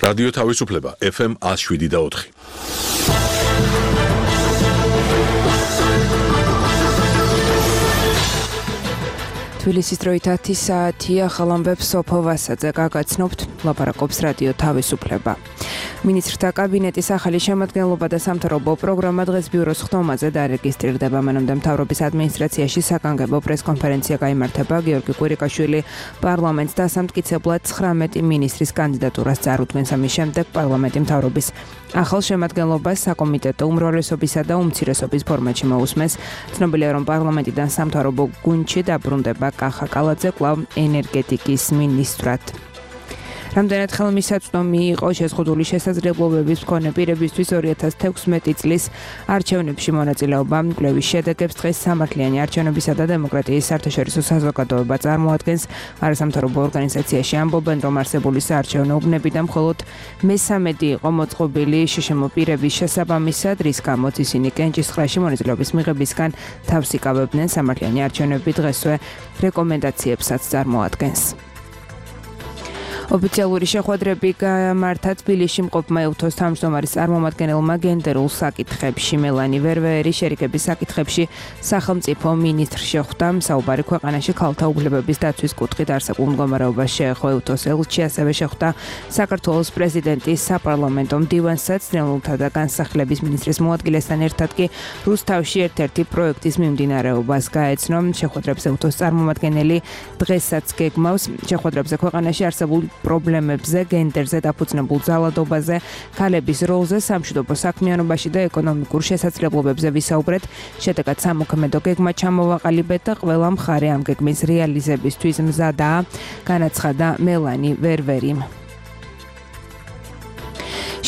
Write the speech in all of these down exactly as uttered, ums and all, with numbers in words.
რადიო თავისუფლება ეფ ემ one oh seven და four. თბილისის დროით ათი საათია, ახალ ამბებს სოფო ვასაძე გაგაცნობთ, ლაპარაკობს რადიო თავისუფლება. მინისტრთა კაბინეტის ახალი შემადგენლობა და სამთავრობო პროგრამა დღეს ბიუროს ხდომაზე დარეგისტრირდება. მანამდე მთავრობის ადმინისტრაციაში საკანგებო პრესკონფერენცია გაიმართება. გიორგი კვირიკაშვილი პარლამენტს დასამტკიცებლად ცხრამეტი მინისტრის კანდიდატურას წარუდგენს. ამის შემდეგ პარლამენტი მთავრობის ახალ შემადგენლობას საკომიტეტო უმრავლესობისა და უმცირესობის ფორმატში მოусმენს. ცნობილია, რომ პარლამენტიდან სამთავრობო გუნდში დაბრუნდება კახა კალაძე კვლავ ენერგეტიკის მინისტრად. რამდენად ხელმისაწვდომი იყო შეზღუდული შესაძლებლობების მქონე პირებისთვის ორი ათას თექვსმეტი წლის არჩევნებში მონაწილეობა. კვლევის შედეგებს დღეს სამართლიანი არჩევნებისა და დემოკრატიის საერთაშორისო საზოგადოება წარმოადგენს. არასამთავრობო ორგანიზაციაში ამბობენ, რომ არსებული საარჩევნო უბნებიდან მხოლოდ მესამედი იყო მოწყობილი შშმ პირების შესაბამისად, რის გამოც ისინი კენჭისყრაში მონაწილეობის მიღებისგან თავს იკავებდნენ. სამართლიანი არჩევნები დღესვე რეკომენდაციებსაც წარმოადგენს. ოფიციალური შეხვედრები გამართა თბილისში მყოფმა ელთოს თავმჯდომარის წარმომადგენელმა გენდერულ საკითხებში. მელანი ვერვეერი შერიგების საკითხებში სახელმწიფო მინისტრს შეხვდა. საუბარი ქვეყანაში ქალთა უფლებების დაცვის კუთხით არსებულ მდგომარეობას შეეხო. ელთოს ელჩი ასევე შეხვდა საქართველოს პრეზიდენტის საპარლამენტო მდივანსაც, ნეულთა და განსახლების მინისტრის მოადგილესთან ერთად კი რუსთავში ერთ-ერთი პროექტის მიმდინარეობას გაეცნო. შეხვედრებს ელთოს წარმომადგენელი დღესაც გეგმავს. შეხვედრებზე ქვეყანაში არსებულ პრობლემებზე, გენდერზე დაფუძნებულ ძალადობაზე, ქალების როლზე სამშვიდობო საქმიანობაში და ეკონომიკურ შესაძლებლობებზე ვისაუბრეთ. შედეგად სამოქმედო გეგმა ჩამოვაყალიბეთ და ყველა მხარე ამ გეგმის რეალიზებისთვის მზადაა, განაცხადა მელანი ვერვერიმ.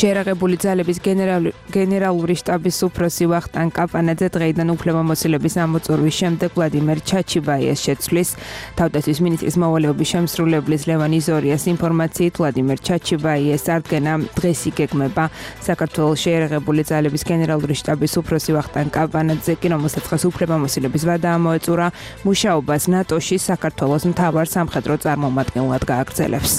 შეერაღებული ძალების გენერალური, გენერალური შტაბის უფროსი ვახტანგ კაპანაძე დღეიდან უფლებამოსილების ამოწურვის შემდეგ ვლადიმერ ჩაჩიბაიას შეცვლის. თავდაცვის მინისტრის მოვალეობის შემსრულებლის ლევან იზორიას ინფორმაციით, ვლადიმერ ჩაჩიბაიას წარდგენა დღეს იგეგმება. საქართველოს შეერაღებული ძალების გენერალური შტაბის უფროსი ვახტანგ კაპანაძე კი, რომელსაც დღეს უფლებამოსილების ვადა ამოეწურა, მუშაობას ნატოში საქართველოს მთავარ სამხედრო წარმომადგენლად გააგრძელებს.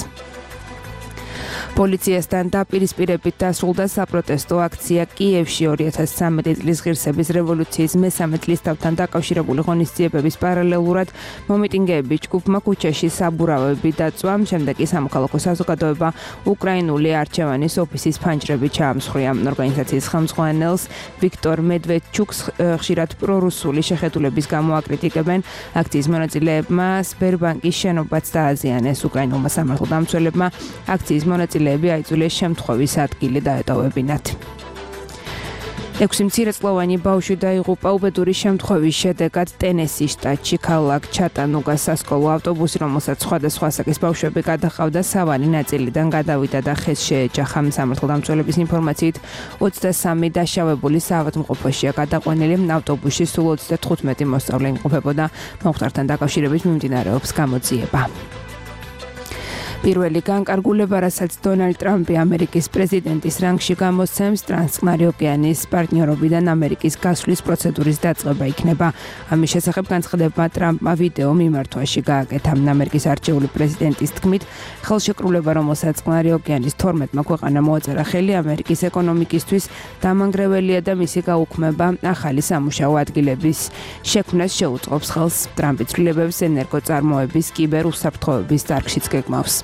პოლიციასთან დაპირისპირებით დასრულდა საპროტესტო აქცია კიევში. ორი ათას ცხრამეტი წლის ღირსების რევოლუციის მესამე წლისთავთან დაკავშირებული ღონისძიებების პარალელურად მომიტინგეები ჯგუფმა ქუჩაში საბურავები დაწვა. შემდეგ კი სამოქალაქო საზოგადოება უკრაინული არჩევანის ოფისის ფანჯრები ჩაამსხვრია. ორგანიზაციის ხელმძღვანელს ვიქტორ მედვედჩუკს ხშირად პრორუსული შეხედულების გამო აკრიტიკებენ. აქციის მონაწილეებმა სბერბანკის შენობაც დააზიანეს. უკრაინულმა სამართალდამცველებმა აქციის მონაწილეები აიძულეს შემთხვევის ადგილი დაეტოვებინათ. ექვსი მცირეწლოვანი ბავშვი დაიღუპა უბედური შემთხვევის შედეგად ტენესის შტატში. ქალაქ ჩატანუგას სასკოლო ავტობუსი, რომელსაც სხვადასხვა ასაკის ბავშვები გადაჰყავდა, სავალი ნაწილიდან გადავიდა და ხეს შეეჯახა. სამართალდამცველების ინფორმაციით, ოცდასამი დაშავებული საავადმყოფოშია გადაყვანილი. ავტობუსში სულ ოცდათხუთმეტი მოსწავლე იმყოფებოდა. მომხდართან დაკავშირებით მიმდინარეობს გამოძიება. პირველი განკარგულება, რასაც დონალდ ტრამპი ამერიკის პრეზიდენტის რანგში გამოსცემს, ტრანსწყნარი ოკეანის პარტნიორობიდან ამერიკის გასვლის პროცედურის დაწყება იქნება. ამის შესახებ განცხადებმა ტრამპმა ვიდეო მიმართვაში გააკეთა. ამერიკის არჩეული პრეზიდენტის თქმით, ხელშეკრულება, რომელსაც წყნარი ოკეანის თორმეტმა ქვეყანა მოაწერა ხელი, ამერიკის ეკონომიკისთვის დამანგრეველია და მისი გაუქმება ახალი სამუშაო ადგილების შექმნას შეუწყობს ხელს. ტრამპი ცვლილებებს ენერგოწარმოების, კიბერ უსაფრთხოების დარგშიც გეგმავს.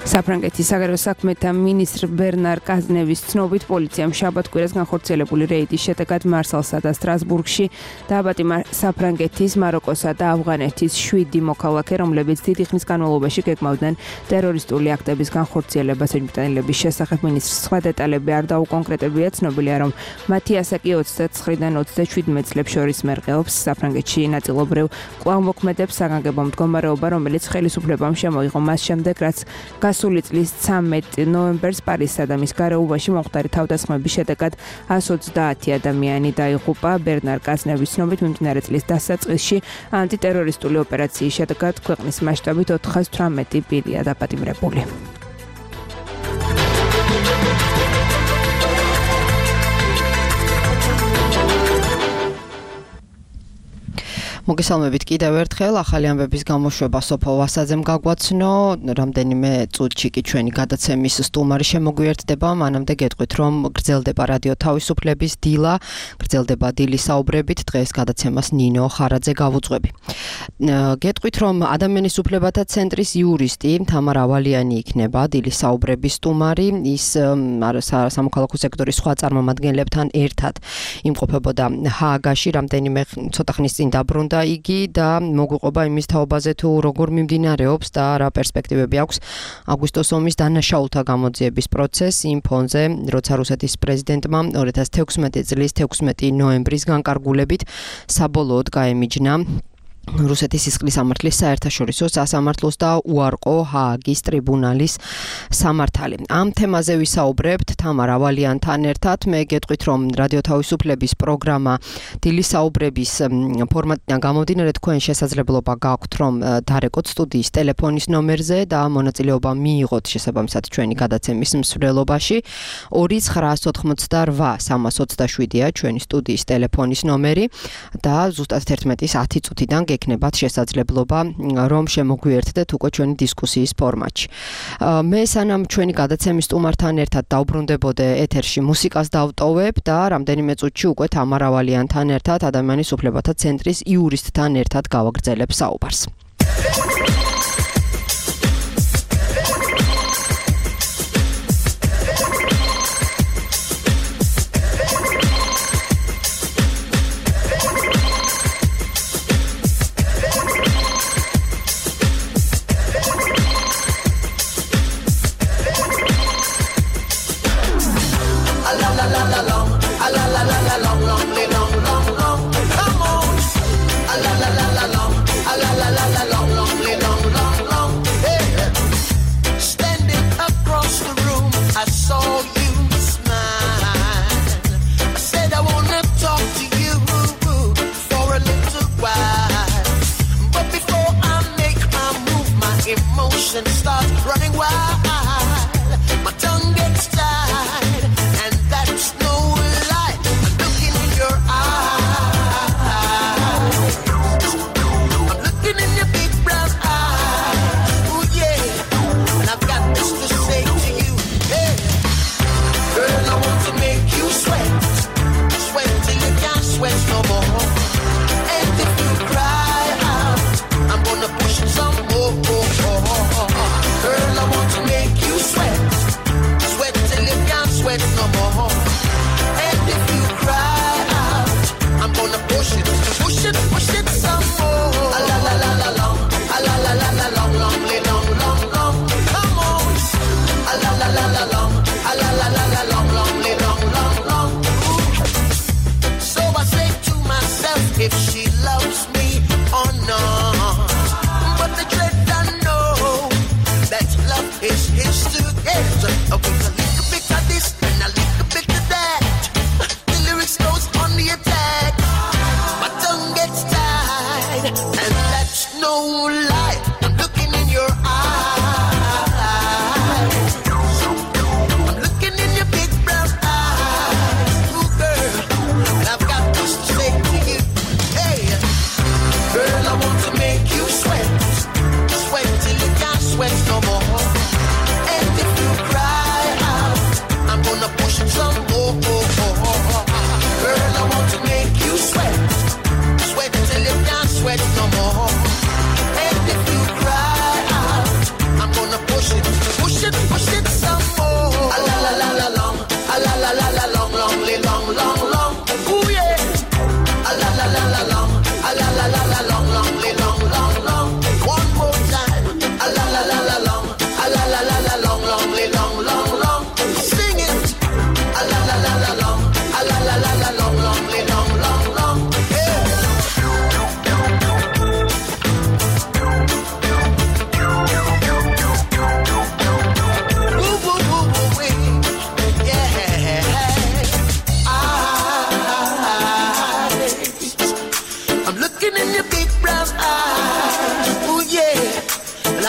საფრანგეთის საგარეო საქმეთა მინისტრ ბერნარ კაზნევის ცნობით, პოლიციამ შაბათ-კვირას განხორციელებული რეიდის შედეგად მარსალსა და სტრასბურგში დააბატიმა საფრანგეთის, მაროკოსა და ავღანეთის შვიდი მოქალაქე, რომლებიც დიდი ხნის განმავლობაში გეგმავდნენ ტერორისტული აქტების განხორციელებას. ეჭვმიტანილების შესახებ მინისტრს სხვა დეტალები არ დაუკონკრეტებია. ცნობილია, რომ მათი ასაკი ოცდაცხრიდან ოცდაშვიდმეტ წლებს შორის მერყეობს. საფრანგეთში ნაწილობრივ კვლავ მოქმედებს საგანგებო მდგომარეობა, რომელიც ხელისუფლებამ შემოიღო მას შემდეგ, რაც გასული წლის ცამეტ ნოემბერს პარიზსა და მის გარეუბანში მომხდარი თავდასხმების შედეგად ას ოცდაათი ადამიანი დაიღუპა. ბერნარ კაზნევის ცნობით, მიმდინარე წლის დასაწყისში ანტიტერორისტული ოპერაციის შედეგად ქვეყნის მასშტაბით ოთხას თვრამეტი პირია დაპატიმრებული. მოგესალმებით კიდევ ერთხელ ახალი ამბების გამოშვება სოფო ვასაძემ გაგვაცნო რამდენიმე წუთში კი ჩვენი გადაცემის სტუმარი შემოგვიერთდება მანამდე გეტყვით რომ გრძელდება რადიო თავისუფლების დილა გრძელდება დილის საუბრებით დღეს გადაცემას ნინო ხარაძე გავუძღვები გეტყვით რომ ადამიანის უფლებათა ცენტრის იურისტი თამარ ავალიანი იქნება დილის საუბრების სტუმარი ის სამოქალაქო სექტორის სხვა წარმომადგენლებთან ერთად იმყოფებოდა ჰააგაში რამდენიმე ცოტა ხნის წინ დაბრუნდა იგი და მოგვიყვება იმის თაობაზე თუ როგორ მიმდინარეობს და რა პერსპექტივები აქვს აგვისტოს ომის დანაშაულთა გამოძიების პროცესს იმ ფონზე, როცა რუსეთის პრეზიდენტმა ორი ათას თექვსმეტი წლის თექვსმეტი ნოემბრის განკარგულებით საბოლოოდ გაემიჯნა რუსეთის სისხლის სამართლის საერთაშორისო სასამართლოს და უარყო ჰააგის ტრიბუნალის სამართალი. ამ თემაზე ვისაუბრებთ თამარ ავალიანთან ერთად. მე გეტყვით რომ რადიო თავისუფლების პროგრამა დილის საუბრების ფორმატიდან გამომდინარე თქვენ შესაძლებლობა გაქვთ რომ დარეკოთ სტუდიის ტელეფონის ნომერზე და მონაწილეობა მიიღოთ შესაბამისად ჩვენი გადაცემის მსვლელობაში. ორი ცხრა ოთხმოცდარვა სამას ოცდაშვიდია ჩვენი სტუდიის ტელეფონის ნომერი და ზუსტად ერთმეტის ათი წუთიდან გექნებათ შესაძლებლობა რომ შემოგვიერთდეთ უკვე ჩვენი დისკუსიის ფორმატში. მე სანამ ჩვენი გადაცემის სტუმართან ერთად დავბრუნდებოდე ეთერში მუსიკას დავტოვებ და რამდენიმე წუთში უკვე თამარ ავალიანთან ერთად ადამიანის უფლებათა ცენტრის იურისტთან ერთად გავაგრძელებ საუბარს.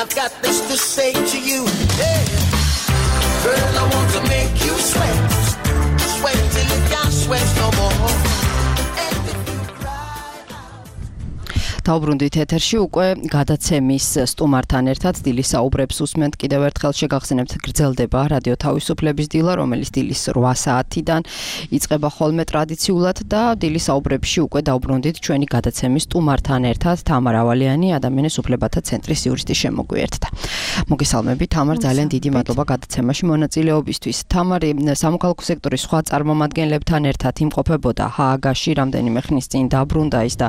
I've got this to say to you. Hey, girl, I want to make you sweat, sweat till you can't sweat no more. დავბრუნდით ეთერში უკვე გადაცემის სტუმართან ერთად დილის საუბრებს უსმენთ. კიდევ ერთხელ შეგახსენებთ, გრძელდება რადიო თავისუფლების დილა, რომელიც დილის რვა საათიდან იწყება ხოლმე ტრადიციულად და დილის საუბრებში უკვე დავბრუნდით ჩვენი გადაცემის სტუმართან ერთად. თამარ ავალიანი, ადამიანის უფლებათა ცენტრის იურისტი შემოგვიერთდა. მოგესალმებით თამარ, ძალიან დიდი მადლობა გადაცემაში მონაწილეობისთვის. თამარი სამოქალაქო სექტორის სხვა წარმომადგენლებთან ერთად იმყოფებოდა ჰააგაში რამდენიმე ხნის წინ დაბრუნდა ის და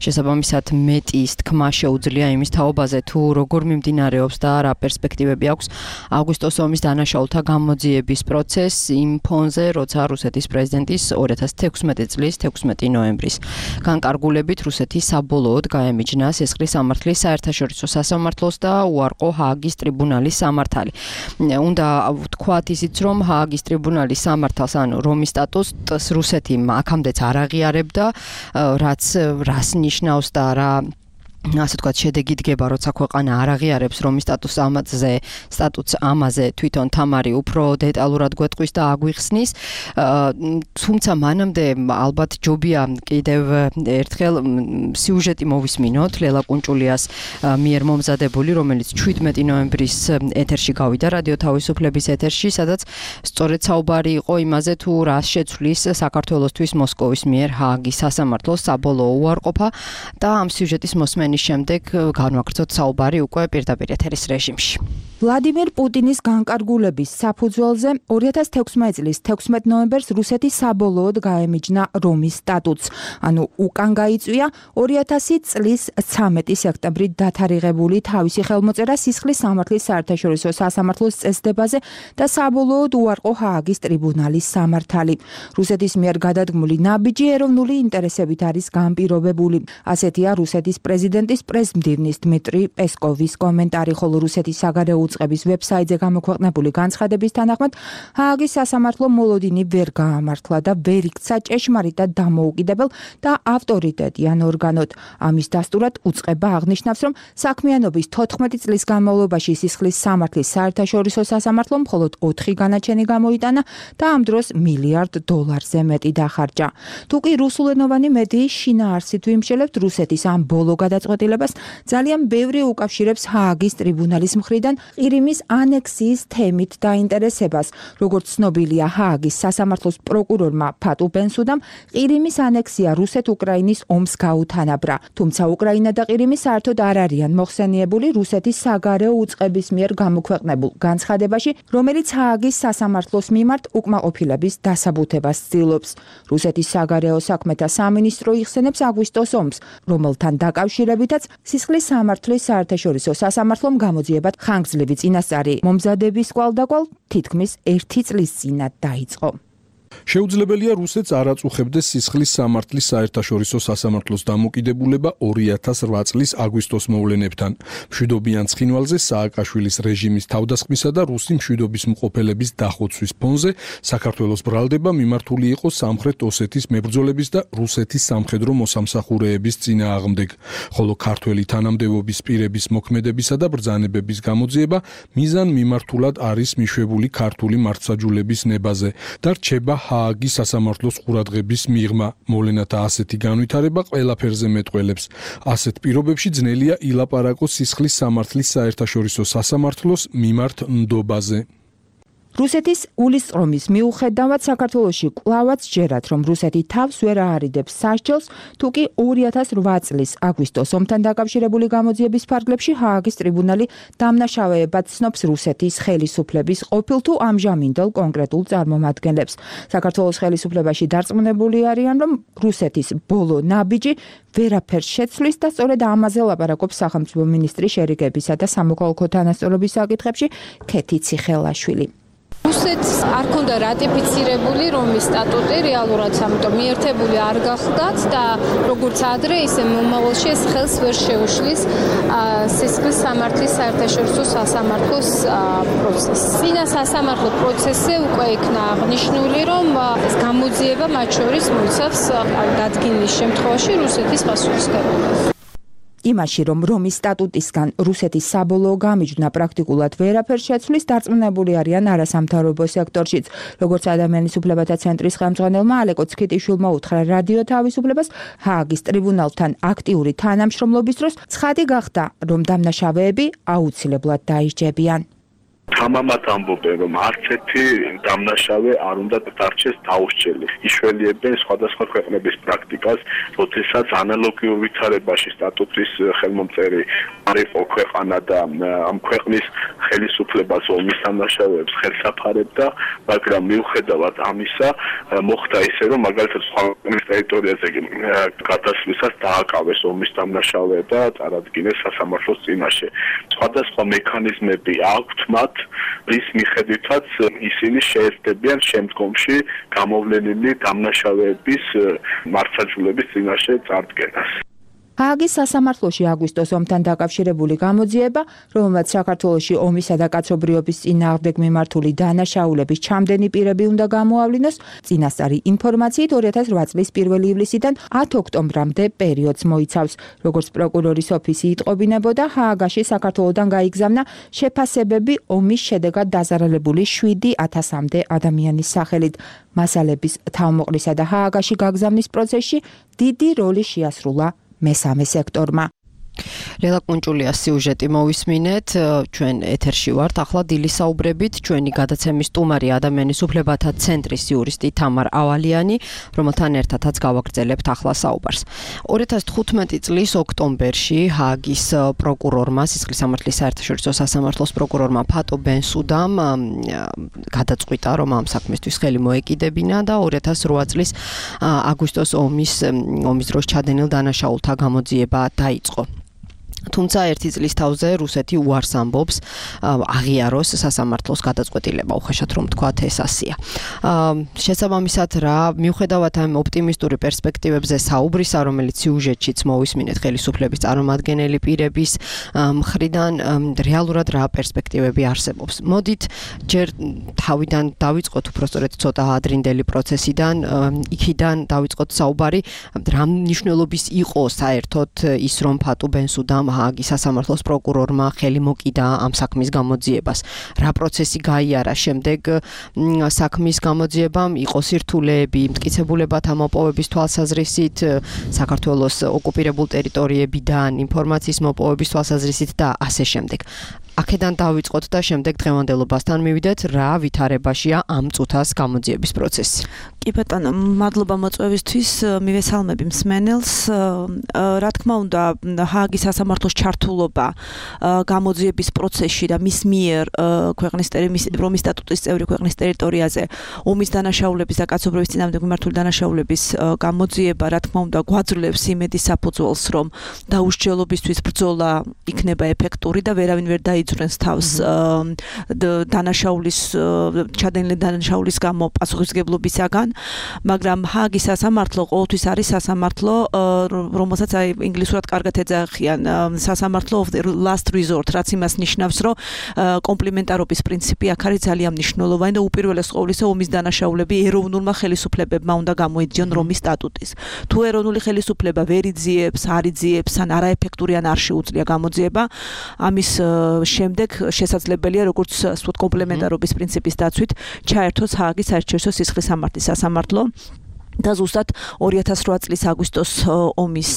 შესაბამისად მეტი ის თქმა შეუძლია იმის თაობაზე თუ როგორ მიმდინარეობს და რა პერსპექტივები აქვს აგვისტოს ომის დანაშაულთა გამოძიების პროცესს იმ ფონზე, როცა რუსეთის პრეზიდენტის ორი ათას თექვსმეტი წლის თექვსმეტი ნოემბრის განკარგულებით რუსეთი საბოლოოდ გაემიჯნა სისხლის სამართლის საერთაშორისო სასამართლოს და უარყო ჰააგის ტრიბუნალის სამართალი. უნდა ვთქვათ ისიც, რომ ჰააგის ტრიბუნალის სამართალს, ანუ რომის სტატუსს რუსეთი აქამდეც არ აღიარებდა, რაც რას ნიშნავს და რა ასე თქვათ შედეგი დგება, როცა ქვეყანა არ აღიარებს რომის სტატუსს ამაზე, სტატუსს ამაზე თვითონ თამარი უფრო დეტალურად გვეტყვის და აგვიხსნის. თუმცა მანამდე ალბათ ჯობია კიდევ ერთხელ სიუჟეტი მოვისმინოთ ლელა კუნჭულიას მიერ მომზადებული, რომელიც შვიდმეტი ნოემბრის ეთერში გავიდა რადიო თავისუფლების ეთერში, სადაც სწორედ საუბარი იყო იმაზე თუ რას შეცვლის საქართველოსთვის მოსკოვის მიერ ჰააგის სასამართლოს საბოლოო უარყოფა და ამ სიუჟეტის მოსმენის შემდეგ განვაგრძოთ საუბარი უკვე პირდაპირ ეთერის რეჟიმში. ვლადიმერ პუტინის განკარგულების საფუძველზე ორი ათას თექვსმეტი წლის თექვსმეტ ნოემბერს რუსეთი საბოლოოდ გაემიჯნა რომის სტატუსს, ანუ უკან გაიწვია ორი ათასი წლის ცამეტი სექტემბრით დათარიღებული თავისი ხელმოწერა სისხლის სამართლის საერთაშორისო სასამართლოს წესდებაზე და საბოლოოდ უარყო ჰააგის ტრიბუნალის სამართალი. რუსეთის მიერ გადადგმული ნაბიჯი ეროვნული ინტერესებით არის განპირობებული. ასეთია რუსეთის პრეზიდენტის პრესმდივნის დმიტრი პესკოვის კომენტარი, ხოლო რუსეთის საგარეო უწყების ვებსაიტზე გამოქვეყნებული განცხადების თანახმად ჰააგის სასამართლო მოლოდინი ვერ გაამართლა და ვერ იქცა ჭეშმარიტად დამოუკიდებელ და ავტორიტეტიან ორგანოდ. ამის დასტურად უწყება აღნიშნავს, რომ საქმიანობის თოთხმეტი წლის განმავლობაში სისხლის სამართლის საერთაშორისო სასამართლომ მხოლოდ ოთხი განაჩენი გამოიტანა და ამ დროს მილიარდ დოლარზე მეტი დახარჯა. თუკი რუსულენოვანი მედიის შინაარსით ვიმსჯელებთ, რუსეთის ამ ბოლო გადაწყვეტილებას ძალიან ბევრი უკავშირებს ჰააგის ტრიბუნალის მხრიდან ყირიმის ანექსიის თემით დაინტერესებას. როგორც ცნობილია, ჰააგის სასამართლოს პროკურორმა ფატუ ბენსუდამ ყირიმის ანექსია რუსეთ-უკრაინის ომს გაუთანაბრა. თუმცა უკრაინა და ყირიმი საერთოდ არ არიან მოხსენიებული რუსეთის საგარეო უწყების მიერ გამოქვეყნებულ განცხადებაში, რომელიც ჰააგის სასამართლოს მიმართ უკმაყოფილების დასაბუთებას ცდილობს. რუსეთის საგარეო საქმეთა სამინისტრო იხსენებს აგვისტოს ომს, რომელთან დაკავშირებითაც სისხლის სამართლის საერთაშორისო სასამართლომ გამოძიებად ხანგრძლივი წინასწარი მომზადების კვალდაკვალ თითქმის ერთი წლის წინათ დაიწყო. შეუძლებელია რუსეთს არ აწუხებდეს სისხლის სამართლის საერთაშორისო სასამართლოს დამოკიდებულება ორი ათას რვა წლის აგვისტოს მოვლენებთან. მშვიდობიან ცხინვალზე სააკაშვილის რეჟიმის თავდასხმისა და რუსი მშვიდობის მყოფელების დახოცვის ფონზე საქართველოს ბრალდება მიმართული იყო სამხრეთ ოსეთის მებრძოლების და რუსეთის სამხედრო მოსამსახურეების წინააღმდეგ, ხოლო ქართველი თანამდებობის პირების მოქმედებისა და ბრძანებების გამოძიება მიზან მიმართულად არის მიშვებული ქართული მართლმსაჯულების ნებაზე და რჩება ჰააგის სასამართლოს ყურადღების მიღმა. მოვლენათა ასეთი განვითარება ყველაფერზე მეტყველებს. ასეთ პირობებში ძნელია ილაპარაკოს სისხლის სამართლის საერთაშორისო სასამართლოს მიმართ ნდობაზე. რუსეთის გულისწყრომის მიუხედავად საქართველოში კვლავაც ჯერათ, რომ რუსეთი თავს ვერ აარიდებს სასჯელს, თუკი ორი ათას რვა წლის აგვისტოს ომთან დაკავშირებული გამოძიების ფარგლებში ჰააგის ტრიბუნალი დამნაშავეებად ცნობს რუსეთის ხელისუფლების ყოფილ თუ ამჟამინდელ კონკრეტულ წარმომადგენლებს. საქართველოს ხელისუფლებაში დარწმუნებული არიან, რომ რუსეთის ბოლო ნაბიჯი ვერაფერს შეცვლის და სწორედ ამაზე ლაპარაკობს სახელმწიფო მინისტრი შერიგებისა და სამოქალაქო თანასწორობის საკითხებში ქეთი ციხელაშვილი. რუსეთს არ ქონდა რატიფიცირებული რომის სტატუტი რეალურად, ამიტომ მიერთებული არ გახდათ და როგორც ადრე, ისე მომავალში ეს ხელს ვერ შეუშლის სისხლის სამართლის საერთაშორისო სასამართლოს პროცესს. წინა სასამართლო პროცესზე უკვე იქნა აღნიშნული, რომ ეს გამოძიება მათ შორის მოიცავს დადგენის შემთხვევაში რუსეთის პასუხისმგებლობას. იმაში, რომ რომის სტატუტისგან რუსეთის საბოლოო გამიჯვნა პრაქტიკულად ვერაფერს შეცვლის, დარწმუნებული არიან არასამთავრობო სექტორშიც. როგორც ადამიანის უფლებათა ცენტრის ხელმძღვანელმა ალეკო ცქიტიშვილმა უთხრა რადიო თავისუფლებას, ჰააგის ტრიბუნალთან აქტიური თანამშრომლობის დროს ცხადი გახდა, რომ დამნაშავეები აუცილებლად დაისჯებიან. თამამად ამბობენ, რომ არც ერთი დამნაშავე არ უნდა დარჩეს დაუსჯელი. იშველიებენ სხვადასხვა ქვეყნების პრაქტიკას, როდესაც ანალოგიურ ვითარებაში სტატუტის ხელმომწერი არ იყო ქვეყანა და ამ ქვეყნის ხელისუფლებას ომის დამნაშავეებს ხელსაფარებდა, მაგრამ მიუხედავად ამისა, მოხდა ისე, რომ მაგალითად სხვა ქვეყნის ტერიტორიაზე გადასვლისას დააკავეს ომის დამნაშავე და წარადგინეს სასამართლოს წინაშე. სხვადასხვა მექანიზმები აქვთ მათ, რის მიხედვითაც ისინი შეეცდებიან შემდგომში გამოვლენილი დამნაშავეების მართლმსაჯულების წინაშე წარდგენას. ჰააგის სასამართლოში აგვისტოს ომთან დაკავშირებული გამოძიება, რომელმაც საქართველოში ომისა და კაცობრიობის წინააღმდეგ მიმართული დანაშაულების ჩამდენი პირები უნდა გამოავლინოს, წინასწარი ინფორმაციით ორი ათას რვა წლის პირველი ივლისიდან ათი ოქტომბრამდე პერიოდს მოიცავს. როგორც პროკურორის ოფისი იტყობინებოდა, ჰააგაში საქართველოდან გაიგზავნა შეფასებები ომის შედეგად დაზარალებული შვიდი ათასამდე ადამიანის სახელით. მასალების თავმოყრისა და ჰააგაში გაგზავნის პროცესში დიდი როლი შეასრულა მესამე სექტორმა. რელა კუნჭულიას სიუჟეტი მოვისმინეთ, ჩვენ ეთერში ვართ, ახლა დილისაუბრებით ჩვენი გადაცემის სტუმარი ადამიანის უფლებათა ცენტრის იურისტი თამარ ავალიანი, რომელთან ერთადაც გავაგრძელებთ ახლა საუბარს. ორი ათას თხუთმეტი წლის ოქტომბერში ჰააგის პროკურორმა, სისხლის სამართლის საერთაშორისო სასამართლოს პროკურორმა ფატო ბენსუდამ გადაწყვიტა, რომ ამ საქმისთვის ხელი მოეკიდებინა და ორი ათას რვა წლის აგვისტოს ომის ომის დროს ჩადენილ დანაშაულთა გამოძიება დაიწყო. თუმცა ერთი წლის თავზე რუსეთი უარს ამბობს აღიაროს სასამართლოს გადაწყვეტილება, უხეშად რომ თქვათ ეს ასია. შესაბამისად რა, მიუხედავად ამ ოპტიმისტური პერსპექტივებზე საუბრისა, რომელიც სიუჟეტშიც მოვისმინეთ ხელისუფლების წარმომადგენელი პირების მხრიდან, რეალურად რა პერსპექტივები არსებობს. მოდით ჯერ თავიდან დავიწყოთ უბრალოდ ცოტა ადრინდელი პროცესიდან, იქიდან დავიწყოთ საუბარი, რა მნიშვნელობის იყო საერთოდ ის, რომ ფატო ბენსუდამ ჰააგის სასამართლოს პროკურორმა ხელი მოკიდა ამ საქმის გამოძიებას. რა პროცესი გაიარა შემდეგ საქმის გამოძიებამ, იყო სირთულეები, მტკიცებულებათა მოპოვების თვალსაზრისით, საქართველოს ოკუპირებულ ტერიტორიებიდან ინფორმაციის მოპოვების თვალსაზრისით და ასე შემდეგ. აქედან დავიწყოთ და შემდეგ დღევანდელობასთან მივიდეთ, რა ვითარებაშია ამ წუთას გამოძიების პროცესი. კი ბატონო, მადლობა მოწვევისთვის, მივესალმები მსმენელს. რა თქმა უნდა, ჰააგის სასამართლოს ჩართულობა გამოძიების პროცესში და მის მიერ ქვეყნის რომის სტატუტის წევრი ქვეყნის ტერიტორიაზე ომის დანაშაულების და კაცობრიობის წინააღმდეგ მიმართული დანაშაულების გამოძიება, რა თქმა უნდა, გვაძლევს იმედის საფუძველს, რომ დაუსჯელობისთვის ბრძოლა იქნება ეფექტური და ვერავინ ვერ დაიძვრენს თავს დანაშაულის ჩადენილი დანაშაულის გამო პასუხისმგებლობისაგან, მაგრამ ჰააგის სასამართლო ყოველთვის არის სასამართლო, რომელსაც აი ინგლისურად კარგად ეძახიან სასამართლო of the last resort, რაც იმას ნიშნავს, რომ კომპლიმენტარობის პრინციპი აქ არის ძალიან მნიშვნელოვანი და უპირველეს ყოვლისა ომის დანაშაულები ეროვნულმა ხელისუფლებებმა უნდა გამოიძიონ რომის სტატუტის. თუ ეროვნული ხელისუფლება ვერ იძიებს, არ იძიებს, ან არაეფექტური ან არ შეუძლია გამოძიება, ამის შემდეგ შესაძლებელია, როგორც ასე ვთქვათ, კომპლემენტარობის პრინციპის დაცვით ჩაერთოს ჰააგის საერთაშორისო სისხლის სამართლის სასამართლო. და ზუსტად ორი ათას რვა წლის აგვისტოს ომის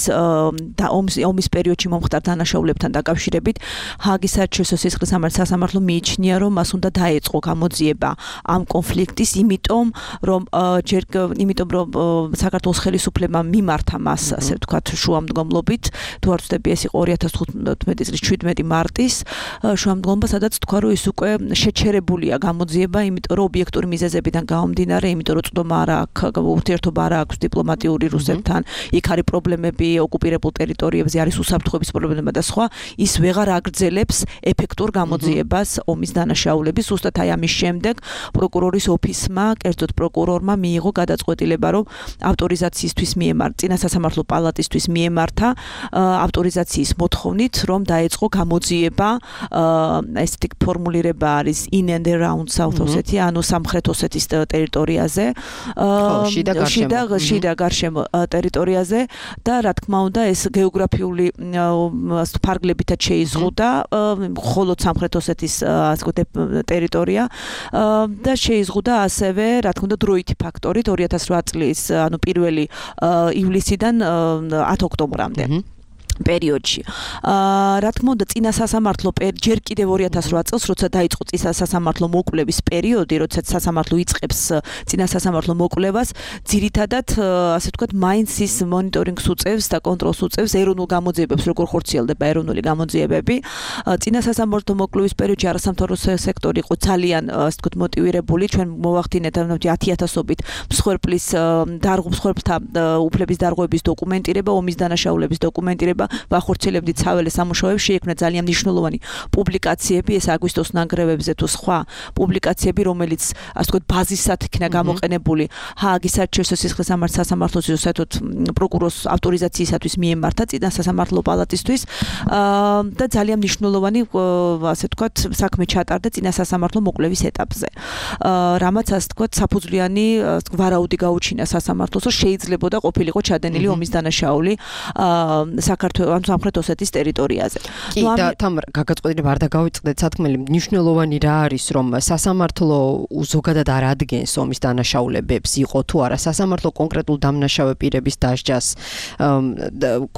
და ომის ომის პერიოდში მომხდარ დანაშაულებთან დაკავშირებით ჰააგის საერთაშორისო სისხლის სამართლის სასამართლო მიიჩნია, რომ მას უნდა დაეწყო გამოძიება ამ კონფლიქტის, იმიტომ რომ ჯერ იმიტომ რომ საქართველოს ხელისუფლებამ მიმართა მას, ასე ვთქვათ, შუამდგომლობით, თუ არ ვცდები, ეს იყო ორი ათას თხუთმეტი წლის შვიდმეტი მარტის შუამდგომლობა, სადაც თქვა, რომ ის უკვე შეჩერებულია გამოძიება, იმიტომ რომ ობიექტური მიზეზებიდან გამომდინარე, იმიტომ რომ წვდომა არ აქვს ურთიერთობა არა აქვს დიპლომატიური რუსეთთან, იქ არის პრობლემები ოკუპირებულ ტერიტორიებზე, არის უსაფრთხოების პრობლემა და სხვა, ის ვეღარ აგრძელებს ეფექტურ გამოძიებას ომის დანაშაულების. ზუსტად აი ამის შემდეგ პროკურორის ოფისმა, კერძოდ პროკურორმა მიიღო გადაწყვეტილება, რომ ავტორიზაციისთვის მიემართა, წინა სასამართლო პალატისთვის მიემართა ავტორიზაციის მოთხოვნით, რომ დაეწყო გამოძიება, ესეთი ფორმულირება არის in and around South Ossetia, ანუ სამხრეთ ოსეთის ტერიტორიაზე. შიდა შიდა შიდა გარშემო ტერიტორიაზე და რა თქმა უნდა ეს გეოგრაფიული ფარგლებითაც შეიზღუდა მხოლოდ სამხრეთ ოსეთის ასე ვთქვათ ტერიტორია და შეიზღუდა ასევე რა თქმა უნდა დროითი ფაქტორით ორი ათას რვა წლის ანუ პირველი ივლისიდან ათი ოქტომბრამდე პერიოდში. აა რა თქმა უნდა წინა სასამართლო ჯერ კიდევ ორი ათას რვა წელს როცა დაიწყო წინა სასამართლო მოკვლევის პერიოდი, როცა სასამართლო იწყებს წინა სასამართლო მოკვლევას, ძირითადად ასე ვთქვათ მაინც ის მონიტორინგს უწევს და კონტროლს უწევს ეროვნულ გამოძიებებს, როგორ ხორციელდება ეროვნული გამოძიებები. წინა სასამართლო მოკვლევის პერიოდში არასამთავრობო სექტორი იყო ძალიან ასე ვთქვათ მოტივირებული, ჩვენ მოვახდინეთ ათი ათასობით მსხვერპლის მსხვერპლთა უფლების დარღვევების დოკუმენტირება, ომის დანაშაულების დოკუმენტირება ვახორციელებდით საველე სამუშაოებს, შეიქმნა ძალიან მნიშვნელოვანი პუბლიკაციები, ეს აგვისტოს ნანგრევებზე თუ სხვა პუბლიკაციები, რომელიც ასე ვთქვათ ბაზისად იქნა გამოყენებული ჰააგის საერთაშორისო სისხლის სამართლის სასამართლოს საერთოდ პროკურორის ავტორიზაციისათვის მიემართა წინა სასამართლო პალატისთვის და ძალიან მნიშვნელოვანი ასე ვთქვათ საქმე ჩატარდა წინა სასამართლო მოკვლევის ეტაპზე. რამაც ასე ვთქვათ საფუძვლიანი ვარაუდი გაუჩინა სასამართლოს, რომ შეიძლებოდა ყოფილიყო ჩადენილი ომის დანაშაული საქართველოს ამ სამხრეთ ოსეთის ტერიტორიაზე. კი და თამარ გაგაწყვეტილება არ დაგავიწყდეთ სათქმელი მნიშვნელოვანი რა არის რომ სასამართლო ზოგადად არ ადგენს ომის დანაშაულებებს იყო თუ არა სასამართლო კონკრეტულ დამნაშავე პირების დასჯას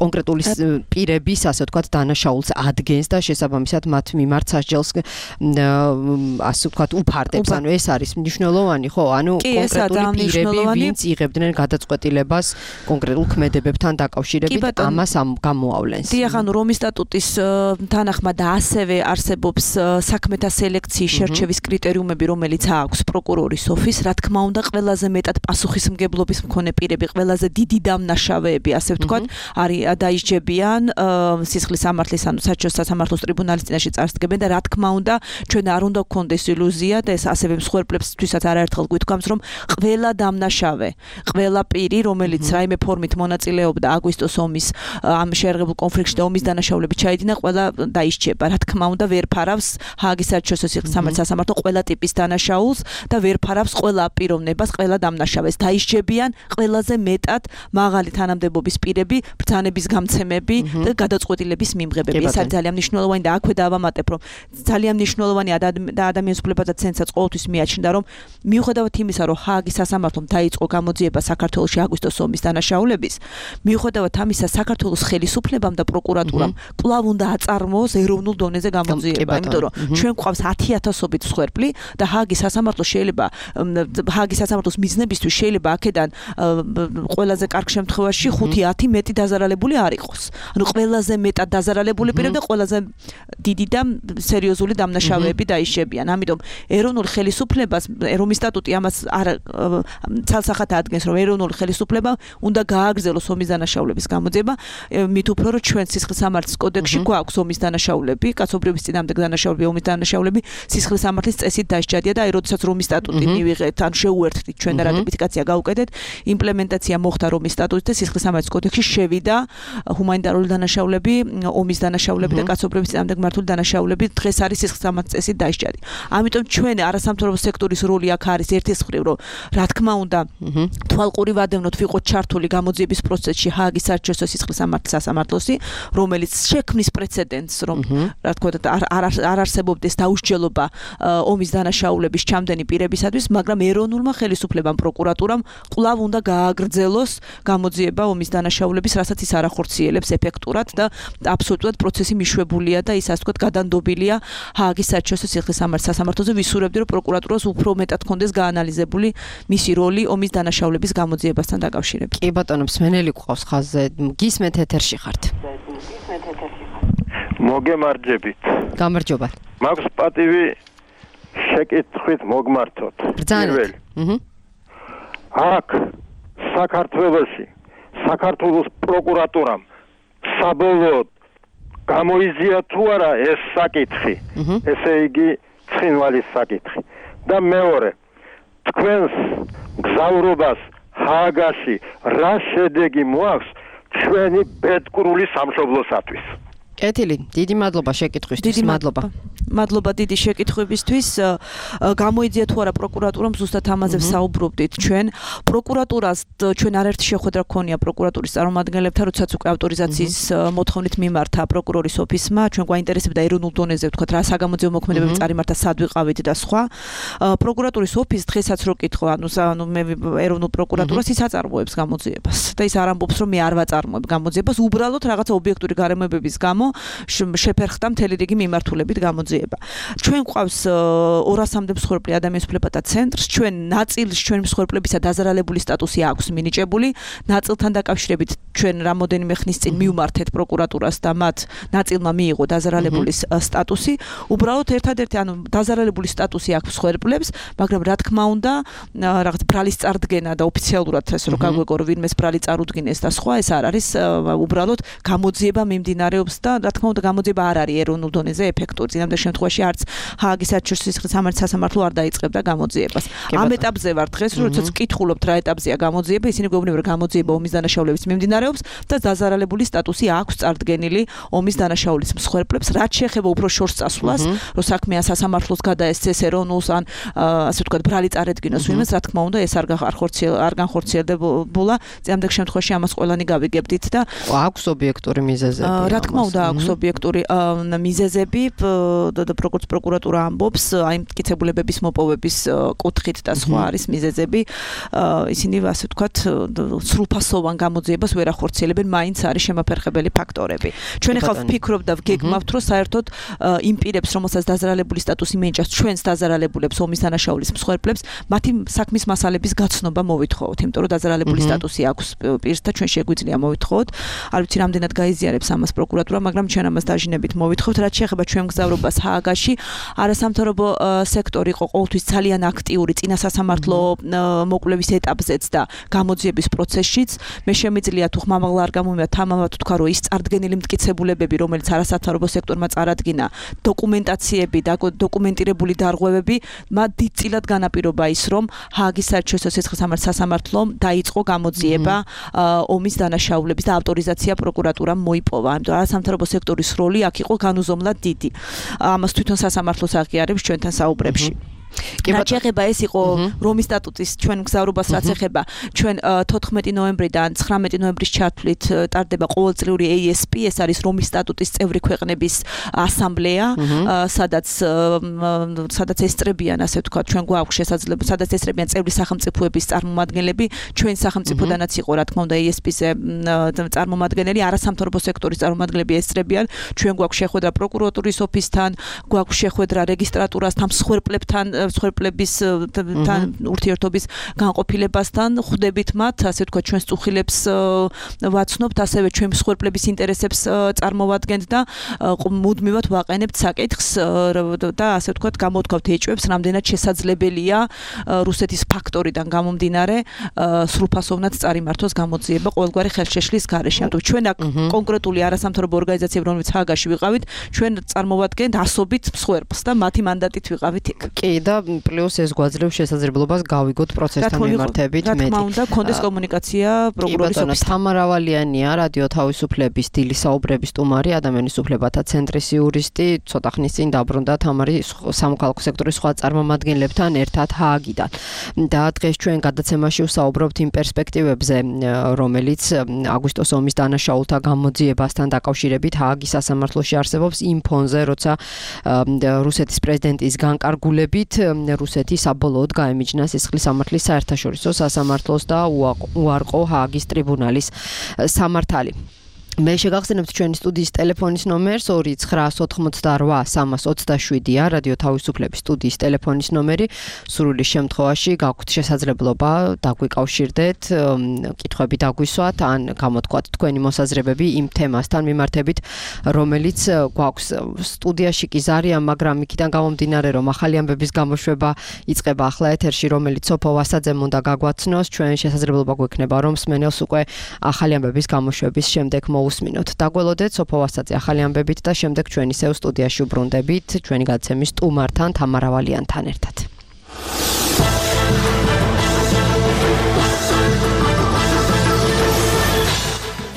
კონკრეტული პირების ასე ვთქვათ დანაშაულს ადგენს და შესაბამისად მათ მიმართ სასჯელს ასე ვთქვათ უფარდებს ანუ ეს არის მნიშვნელოვანი ხო ანუ კონკრეტული პირები ვინც იღებდნენ გადაწყვეტილებას კონკრეტულ ქმედებებთან დაკავშირებით ამას ამ დიახ, ანუ რომის სტატუტის თანახმად და ასევე არსებობს საქმეთა სელექციის შერჩევის კრიტერიუმები, რომელიც აქვს პროკურორის ოფისს, რა თქმა უნდა, ყველაზე მეტად პასუხისმგებლობის მქონე პირები, ყველაზე დიდი დამნაშავეები, ასე ვთქვათ, არის დაისჯებიან სისხლის სამართლის, ანუ საერთაშორისო სასამართლოს ტრიბუნალის წინაშე წარსდგებენ და რა თქმა უნდა, ჩვენ არ უნდა გქონდეს ილუზია და ეს ასევე მსხვერპლებთვისაც არაერთხელ გვითქვამს, რომ ყველა დამნაშავე, ყველა პირი, რომელიც რაიმე ფორმით მონაწილეობდა აგვისტოს ომის ამ შეერღებულ კონფლიქტში და ომის დანაშაულები ჩაიდინა, ყველა დაისჯება. რა თქმა უნდა, ვერ ფარავს ჰააგის საერთაშორისო სისხლის სამართლის სასამართლო ყველა ტიპის დანაშაულს და ვერ ფარავს ყველა პიროვნებას, ყველა დამნაშავეს. დაისჯებიან ყველაზე მეტად მაღალი თანამდებობის პირები, ბრძანების გამცემები და გადაწყვეტილების მიმღებები. ეს არის ძალიან მნიშვნელოვანი და აქვე დავამატებ, რომ ძალიან მნიშვნელოვანი და ადამიანის უფლებათა ცენტრსაც ყოველთვის მიაჩნდა, რომ მიუხედავად იმისა, რომ ჰააგის სასამართლომ დაიწყო გამოძიება საქართველოში აგვისტოს ომის დანაშაულების, მიუხედავად ამისა საქართველოს ხელისუფლებამ და პროკურატურამ კვლავ უნდა აწარმოოს ეროვნულ დონეზე გამოძიება, იმიტომ რომ ჩვენ გვყავს ათი ათასობით მსხვერპლი და ჰააგის სასამართლო შეიძლება ჰააგის სასამართლოს მიზნებისთვის შეიძლება აქედან ყველაზე კარგ შემთხვევაში ხუთი ათი მეტი დაზარალებული არ იყოს. ანუ ყველაზე მეტად დაზარალებული პირები და ყველაზე დიდი და სერიოზული დამნაშავეები დაისჯებიან. ამიტომ ეროვნულ ხელისუფლებას რომის სტატუტი ამას არ ცალსახად ადგენს, რომ ეროვნული ხელისუფლება უნდა გააგრძელოს ომის დანაშაულების გამოძიება, მით უფრო რომ ჩვენ სისხლის სამართლის კოდექსში გვაქვს ომის დანაშაულები, კაცობრიობის წინააღმდეგ დანაშაულები, ომის დანაშაულები სისხლის სამართლის წესით დასჯადია და აი როდესაც რომის სტატუტი მივიღეთ, ან შეუერთდით ჩვენ და რატიფიკაცია გავუკეთეთ, იმპლემენტაცია მოხდა რომის სტატუტით და სისხლის სამართლის კოდექსში შევიდა ჰუმანიტარული დანაშაულები, ომის დანაშაულები და კაცობრიობის წინააღმდეგ მართული დანაშაულები დღეს არის სისხლის სამართლის წესით დასჯადი. ამიტომ ჩვენ არასამთავრობო სექტორის როლი აქ არის ერთის მხრივ, რომ რა თქმა უნდა თვალყური ვადევნოთ ვიყოთ ჩართული გამოძიების პროცესში ჰააგის საერთაშორისო სისხლის სამართლის სასამართლოსი, რომელიც შექმნის პრეცედენტს, რომ რა თქმა უნდა არ არსებობდეს დაუსჯელობა ომის დანაშაულების ჩამდენი პირებისათვის, მაგრამ ეროვნულმა ხელისუფლებამ პროკურატურამ კვლავ უნდა გააგრძელოს გამოძიება ომის დანაშაულების, რასაც ის არ ახორციელებს ეფექტურად და აბსოლუტურად პროცესი მიშვებულია და ის ასე ვთქვათ გადანდობილია ჰააგის საერთაშორისო სისხლის სამართლის სასამართლოზე. ვისურვებდი, რომ პროკურატურას უფრო მეტად კონდეს გაანალიზებული მისი როლი ომის დანაშაულების გამოძიებასთან დაკავშირებით. კი ბატონო, მსმენელი გვყავს ხაზზე. გისმენთ ეთერში ხართ. მოგემარჯებით. გამარჯობა. მაქვს პატივი შეკითხვით მოგმართოთ. პირველი. აჰა. აქ საქართველოში საქართველოს პროკურატურამ საბოლოოდ გამოიზია თუ არა ეს საკითხი. ესე იგი ცხინვალის საკითხი. და მეორე, თქვენს გზავრობას ჰააგაში რა შედეგი მოაქვს ჩვენი ბედკრული სამშობლოსათვის? კეთილი, დიდი მადლობა შეკითხვისთვის. დიდი მადლობა. მადლობა დიდი შეკითხვებისთვის. გამოიძია თუ არა პროკურატურამ ზუსტად ამაზე ვსაუბრობდით ჩვენ. პროკურატურას ჩვენ არაერთი შეხვედრა გქონია პროკურატურის წარმომადგენლებთან, როდესაც უკვე ავტორიზაციის მოთხოვნით მიმართა პროკურორის ოფისმა. ჩვენ გვაინტერესებდა ეროვნულ დონეზე ვთქვათ რა საგამოძიებო მოქმედებები წარიმართა, სად ვიყავით და სხვა. პროკურატურის ოფისს დღესაც რო კითხვა, ანუ ანუ მე ეროვნულ პროკურატურას ის აწარმოებს გამოძიებას და ის არ ამბობს რომ მე არ ვაწარმოებ გამოძიებას, უბრალოდ რაღაცა ობიექტური გარემოებების გამო შეფერხდა მთელი რიგი მიმართულებით გამოძიება. ჩვენ გვყავს ორასამდე მსხვერპლი ადამიანის უფლებათა ცენტრს, ჩვენ ნაწილს ჩვენ მსხვერპლებისა დაზარალებული სტატუსი აქვს მინიჭებული, ნაწილთან დაკავშირებით ჩვენ რამოდენიმე ხნის წინ მივმართეთ პროკურატურას და მათ ნაწილმა მიიღო დაზარალებულის სტატუსი. უბრალოდ ერთადერთი ანუ დაზარალებული სტატუსი აქვს მსხვერპლებს, მაგრამ რა თქმა უნდა, რაღაც ბრალის წარდგენა და ოფიციალურად ეს რო გაგვეგო რომ ვინმეს ბრალი წარუდგინეს და სხვა, ეს არ არის უბრალოდ გამოძიება მიმდინარეობს და რა თქმა უნდა გამოძიება არ არის ეროვნულ დონეზე ეფექტური. წინამდე შემთხვევაში არც ჰააგის საერთაშორისო სამართალ არ დაიწყებდა გამოძიებას. ამ ეტაპზე ვარ დღეს, როდესაც ვკითხულობთ რა ეტაპზეა გამოძიება, ისინი გვეუბნებიან რომ გამოძიება ომის დანაშაულების მიმდინარეობს და დაზარალებული სტატუსი აქვს წარდგენილი ომის დანაშაულის მსხვერპლებს. რაც შეეხება უფრო შორს წასვლას, რომ საქმეა სასამართლოს გადაესცეს ეროვნულს ან ასე ვთქვათ ბრალი წარედგინოს ვინმეს, რა თქმა უნდა ეს არ არ განხორციელდებულა. წინამდე შემთხვევაში ამას ყველანი გავიგებდით და აქვს ობიექტური მიზეზები. რა თქმა უნდა აქვს ობიექტური მიზეზები და პროკურატურა ამბობს აი მტკიცებულებების მოპოვების კუთხით და სხვა არის მიზეზები. ისინი ასე ვთქვათ სრულფასოვან გამოძიებას ვერ ახორციელებენ, მაინც არის შემაფერხებელი ფაქტორები. ჩვენ ახლა ვფიქრობ და ვგეგმავთ, რომ საერთოდ იმ პირებს, რომელსაც დაზარალებული სტატუსი მიენიჭათ, ჩვენს დაზარალებულებს, ომის დანაშაულის მსხვერპლებს, მათი საქმის მასალების გაცნობა მოვითხოვოთ, იმიტომ რომ დაზარალებული სტატუსი აქვს პირს და ჩვენ შეგვიძლია მოვითხოვოთ. არ ვიცი რამდენად გაიზიარებს ამას პროკურატურა, მაგრამ ჩვენ ამას დაჟინებით მოვითხოვთ. რაც შეეხება ჩვენ მგზავრობას ჰააგაში, არასამთავრობო სექტორი იყო ყოველთვის ძალიან აქტიური წინა სასამართლო მოკვლევის ეტაპზეც და გამოძიების პროცესშიც. მე შემიძლია თუ ხმამაღლა არ გამომივიდა თამამად თქვა, რომ ის წარდგენილი მტკიცებულებები, რომელიც არასამთავრობო სექტორმა წარადგინა, დოკუმენტაციები და დოკუმენტირებული დარღვევები, მათ დიდწილად განაპირობა ის, რომ ჰააგის საერთაშორისო სასამართლომ დაიწყო გამოძიება ომის დანაშაულების და ავტორიზაცია პროკურატურამ მოიპოვა. ამიტომ არასამთავრობო სექტორის როლი აქ იყო განუზომლად დიდი. ამას თვითონ სასამართლოს აღიარებს ჩვენთან საუბრებში. რაც შეეხება ეს იყო რომის სტატუტის ჩვენ მგზავრობას რაც ეხება ჩვენ თოთხმეტი ნოემბრიდან ცხრამეტი ნოემბრის ჩათვლით ტარდება ყოველწლიური ეი ეს პი, ეს არის რომის სტატუტის წევრი ქვეყნების ასამბლეა, სადაც სადაც ესწრებიან ასე ვთქვათ ჩვენ გვაქვს შესაძლებლობა, სადაც ესწრებიან წევრი სახელმწიფოების წარმომადგენლები, ჩვენ სახელმწიფოდანაც იყო რა თქმა უნდა ეი ეს პი-ზე წარმომადგენელი, არასამთავრობო სექტორის წარმომადგენლები ესწრებიან, ჩვენ გვაქვს შეხვედრა პროკურატურის ოფისთან, გვაქვს შეხვედრა რეგისტრატურასთან, მსხვერპლებთან მსხვერპლების თან ურთიერთობის განყოფილებასთან, ხვდებით მათ, ასე ვთქვათ, ჩვენს წუხილებს ვაცნობთ, ასევე ჩვენ მსხვერპლების ინტერესებს წარმოვადგენთ და მუდმივად ვაყენებთ საკითხს და ასე ვთქვათ, გამოთქვათ ეჭვებს, რამდენად შესაძლებელია რუსეთის ფაქტორიდან გამომდინარე სრულფასოვნად წარიმართოს გამოძიება ყოველგვარი ხელშეშლის გარეშე. ამიტომ ჩვენ აქ კონკრეტული არასამთავრობო ორგანიზაციები, რომლებიც ჰააგაში ვიყავით, ჩვენ წარმოვადგენთ ასობით მსხვერპლს და მათი მანდატით ვიყავით იქ. კი და პლუს ეს გვაძლევს შესაძლებლობას გავიგოთ პროცესთან მიმართებით მეტი. რა თქმა უნდა, კონდეს კომუნიკაცია პროკურორის ოფისთან. თამარა ვალიანია, რადიო თავისუფლების დილის საუბრების სტუმარი, ადამიანის უფლებათა ცენტრის იურისტი, ცოტა ხნის წინ დაბრუნდა თამარი სამოქალაქო სექტორის სხვა წარმომადგენლებთან ერთად ჰააგიდან. და დღეს ჩვენ გადაცემაში ვსაუბრობთ იმ პერსპექტივებზე, რომელიც აგვისტოს ომის დანაშაულთა გამოძიებასთან დაკავშირებით ჰააგის სასამართლოში არსებობს იმ ფონზე, როცა რუსეთის პრეზიდენტის განკარგულებით რუსეთი საბოლოოდ გაემიჯნა სისხლის სამართლის საერთაშორისო სასამართლოს და უარყო ჰააგის ტრიბუნალის სამართალი. მე შეგახსენებთ ჩვენი სტუდიის ტელეფონის ნომერს ორი ცხრა ოთხმოცდაოთხ სამას ოცდაშვიდია, რადიო თავისუფლების სტუდიის ტელეფონის ნომერი. სრული შემთხვევაში გაქვთ შესაძლებლობა დაგვიკავშირდეთ, კითხვები დაგვისვათ, ან გამოთქვათ თქვენი მოსაზრებები იმ თემასთან მიმართებით, რომელიც გვაქვს სტუდიაში კი ზარიან, მაგრამ იქიდან გამომდინარე, რომ ახალი ამბების გამოშვება იწყება ახლა ეთერში, რომელიც სოფო ვასაძემ უნდა გაგვაცნოს, ჩვენ შესაძლებლობა გვექნება, რომ მსმენელს უკვე ახალი ამბების გამოშვების შემდეგ უსმინოთ. დაგველოდეთ სოფო ვასაძე ახალი ამბებით და შემდეგ ჩვენ ისევ სტუდიაში უბრუნდებით ჩვენი გადაცემის სტუმართან თამარა ვალიანთან ერთად.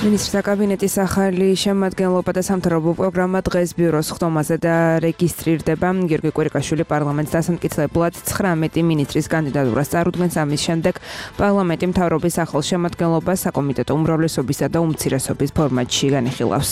მინისტრთა კაბინეტის ახალი შემადგენლობა და სამთავრობო პროგრამა დღეს ბიუროს ხდომაზე და რეგისტრირდება. გიორგი კვირიკაშვილი პარლამენტს დასამტკიცებლად ცხრამეტი მინისტრის კანდიდატურას წარუდგენს. ამის შემდეგ პარლამენტი მთავრობის ახალ შემადგენლობას საკომიტეტო უმრავლესობისა და უმცირესობის ფორმატში განიხილავს.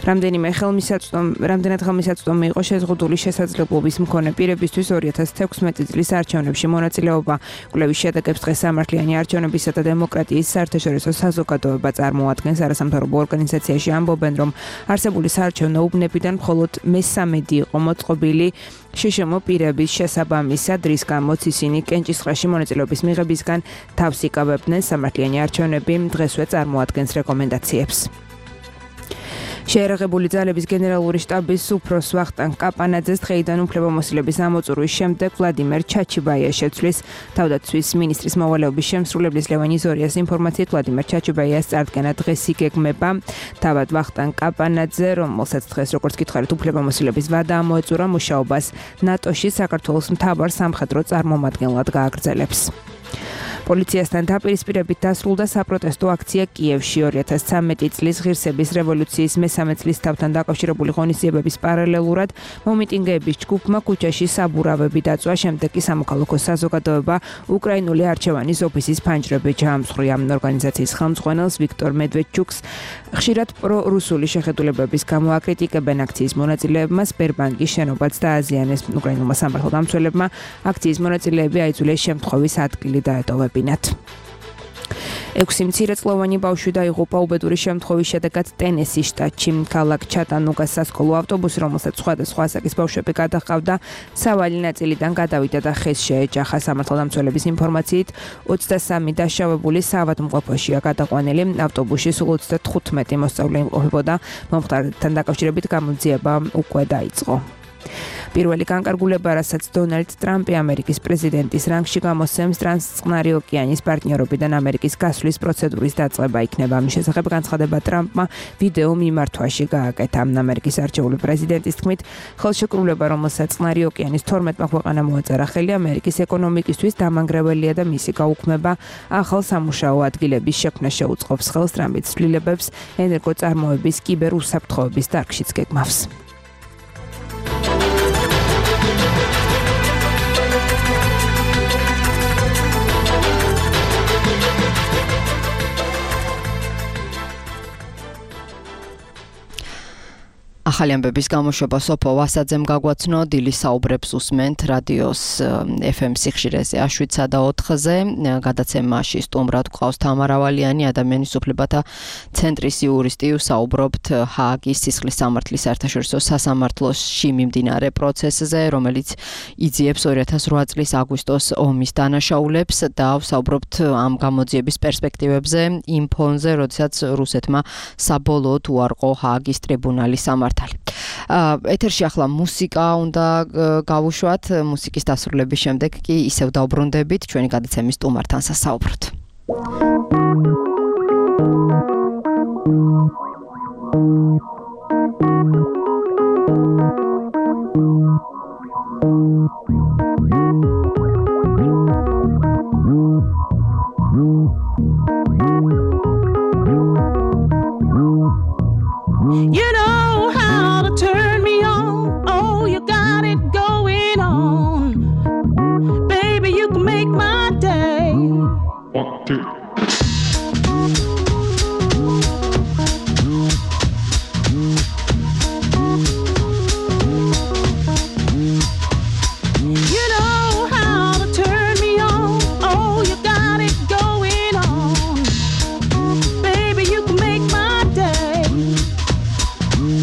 რამდენიმე ხელმისაწვდომი რამდენად ხელმისაწვდომი იყო შეზღუდული შესაძლებლობის მქონე პირებისთვის ორი ათას თექვსმეტი წლის არჩევნებში მონაწილეობა. კვლევის შედეგებს დღეს სამართლიანი არჩევნებისა და დემოკრატიის საერთაშორისო საზოგადოება წარმოადგენს. არასამთავრობო ორგანიზაციაში ამბობენ, რომ არსებული საარჩევნო უბნებიდან მხოლოდ მესამედი იყო მოწყობილი შშმ პირების შესაბამისად, რის გამოც ისინი კენჭისყრაში მონაწილეობის მიღებისგან თავს იკავებდნენ. სამართლიანი არჩევნები დღესვე წარმოადგენს რეკომენდაციებს. შეერაღებული ძალების გენერალური შტაბის უფროს ვახტანგ კაპანაძეს დღეიდან უფლებამოსილების ამოწურვის შემდეგ ვლადიმერ ჩაჩიბაია შეცვლის. თავდაცვის მინისტრის მოვალეობის შემსრულებლის ლევან იზორიას ინფორმაციით ვლადიმერ ჩაჩიბაიას წარდგენა დღეს იგეგმება. თავად ვახტანგ კაპანაძე, რომელსაც დღეს როგორც გითხარით უფლებამოსილების ვადა ამოეწურა, მუშაობას ნატოში საქართველოს მთავარ სამხედრო წარმომადგენლად გააგრძელებს. პოლიციასთან დაპირისპირებით დასრულდა საპროტესტო აქცია კიევში. ორი ათას ცხრამეტი წლის ღირსების რევოლუციის მესამე წლისთავთან დაკავშირებული ღონისძიებების პარალელურად მომიტინგეების ჯგუფმა ქუჩაში საბურავები დაწვა. შემდეგ კი სამოქალაქო საზოგადოება უკრაინული არჩევანის ოფისის ფანჯრებით ჩაამსხვრია. ორგანიზაციის ხელმძღვანელს ვიქტორ მედვედჩუკს ხშირად პრორუსული შეხედულებების გამო აკრიტიკებენ აქციის მონაწილეებმა. სპერბანკის შენობაც დააზიანეს. უკრაინულმა სამართალდამცველებმა აქციის მონაწილეები აიძულეს შემთხვევის ადგილი დაეტოვებინათ. ექვსი მცირეწლოვანი ბავშვი დაიღუპა უბედური შემთხვევის შედეგად ტენესის შტატში. ქალაქ ჩატანუგას სასკოლო ავტობუსი, რომელსაც სხვადასხვა ასაკის ბავშვები გადაჰყავდა, სავალი ნაწილიდან გადავიდა და ხეს შეეჯახა. სამართალდამცველების ინფორმაციით ოცდასამი დაშავებული საავადმყოფოშია გადაყვანილი. ავტობუსში სულ ოცდათხუთმეტი მოსწავლე იმყოფებოდა. მომხდართან დაკავშირებით გამოძიება უკვე დაიწყო. პირველი განკარგულება, რასაც დონალდ ტრამპი ამერიკის პრეზიდენტის რანგში გამოსცემს, ტრანსწყნარი ოკეანის პარტნიორობიდან ამერიკის გასვლის პროცედურის დაწყება იქნება. ამის შესახებ განცხადება ტრამპმა ვიდეო მიმართვაში გააკეთა. ამერიკის არჩეული პრეზიდენტის თქმით, ხელშეკრულება, რომელსაც წყნარი ოკეანის თორმეტმა ქვეყანამ მოაწერა ხელი, ამერიკის ეკონომიკისთვის დამანგრეველია და მისი გაუქმება ახალ სამუშაო ადგილების შექმნას შეუწყობს. ხელს ტრამპის ცვლილებებს ენერგოწარმოების კიბერუსაფრთხოების დარგშიც გეგმავს. ახალი ამბების გამოშვება სოფო ვასაძემ გაგვაცნო. დილის საუბრებს უსმენთ რადიოს ეფ ემ სიხშირეზე აშვიდსა და ოთხზე. გადაცემაში სტუმრად გვყავს თამარ ავალიანი, ადამიანის უფლებათა ცენტრის იურისტი. ვსაუბრობთ ჰააგის სისხლის სამართლის საერთაშორისო სასამართლოში მიმდინარე პროცესზე, რომელიც იძიებს ორი ათას რვა წლის აგვისტოს ომის დანაშაულებს და ვსაუბრობთ ამ გამოძიების პერსპექტივებზე იმ ფონზე, როდესაც რუსეთმა საბოლოოდ უარყო ჰააგის ტრიბუნალის სამართალი. ეთერში ახლა მუსიკა უნდა გავუშვათ. მუსიკის დასრულების შემდეგ კი ისევ დავბრუნდებით ჩვენი გადაცემის სტუმართან სასაუბროთ. You know how to turn me on. Oh, you got it going on. Baby, you can make my day. One, two. You know how to turn me on. Oh, you got it going on. Baby, you can make my day.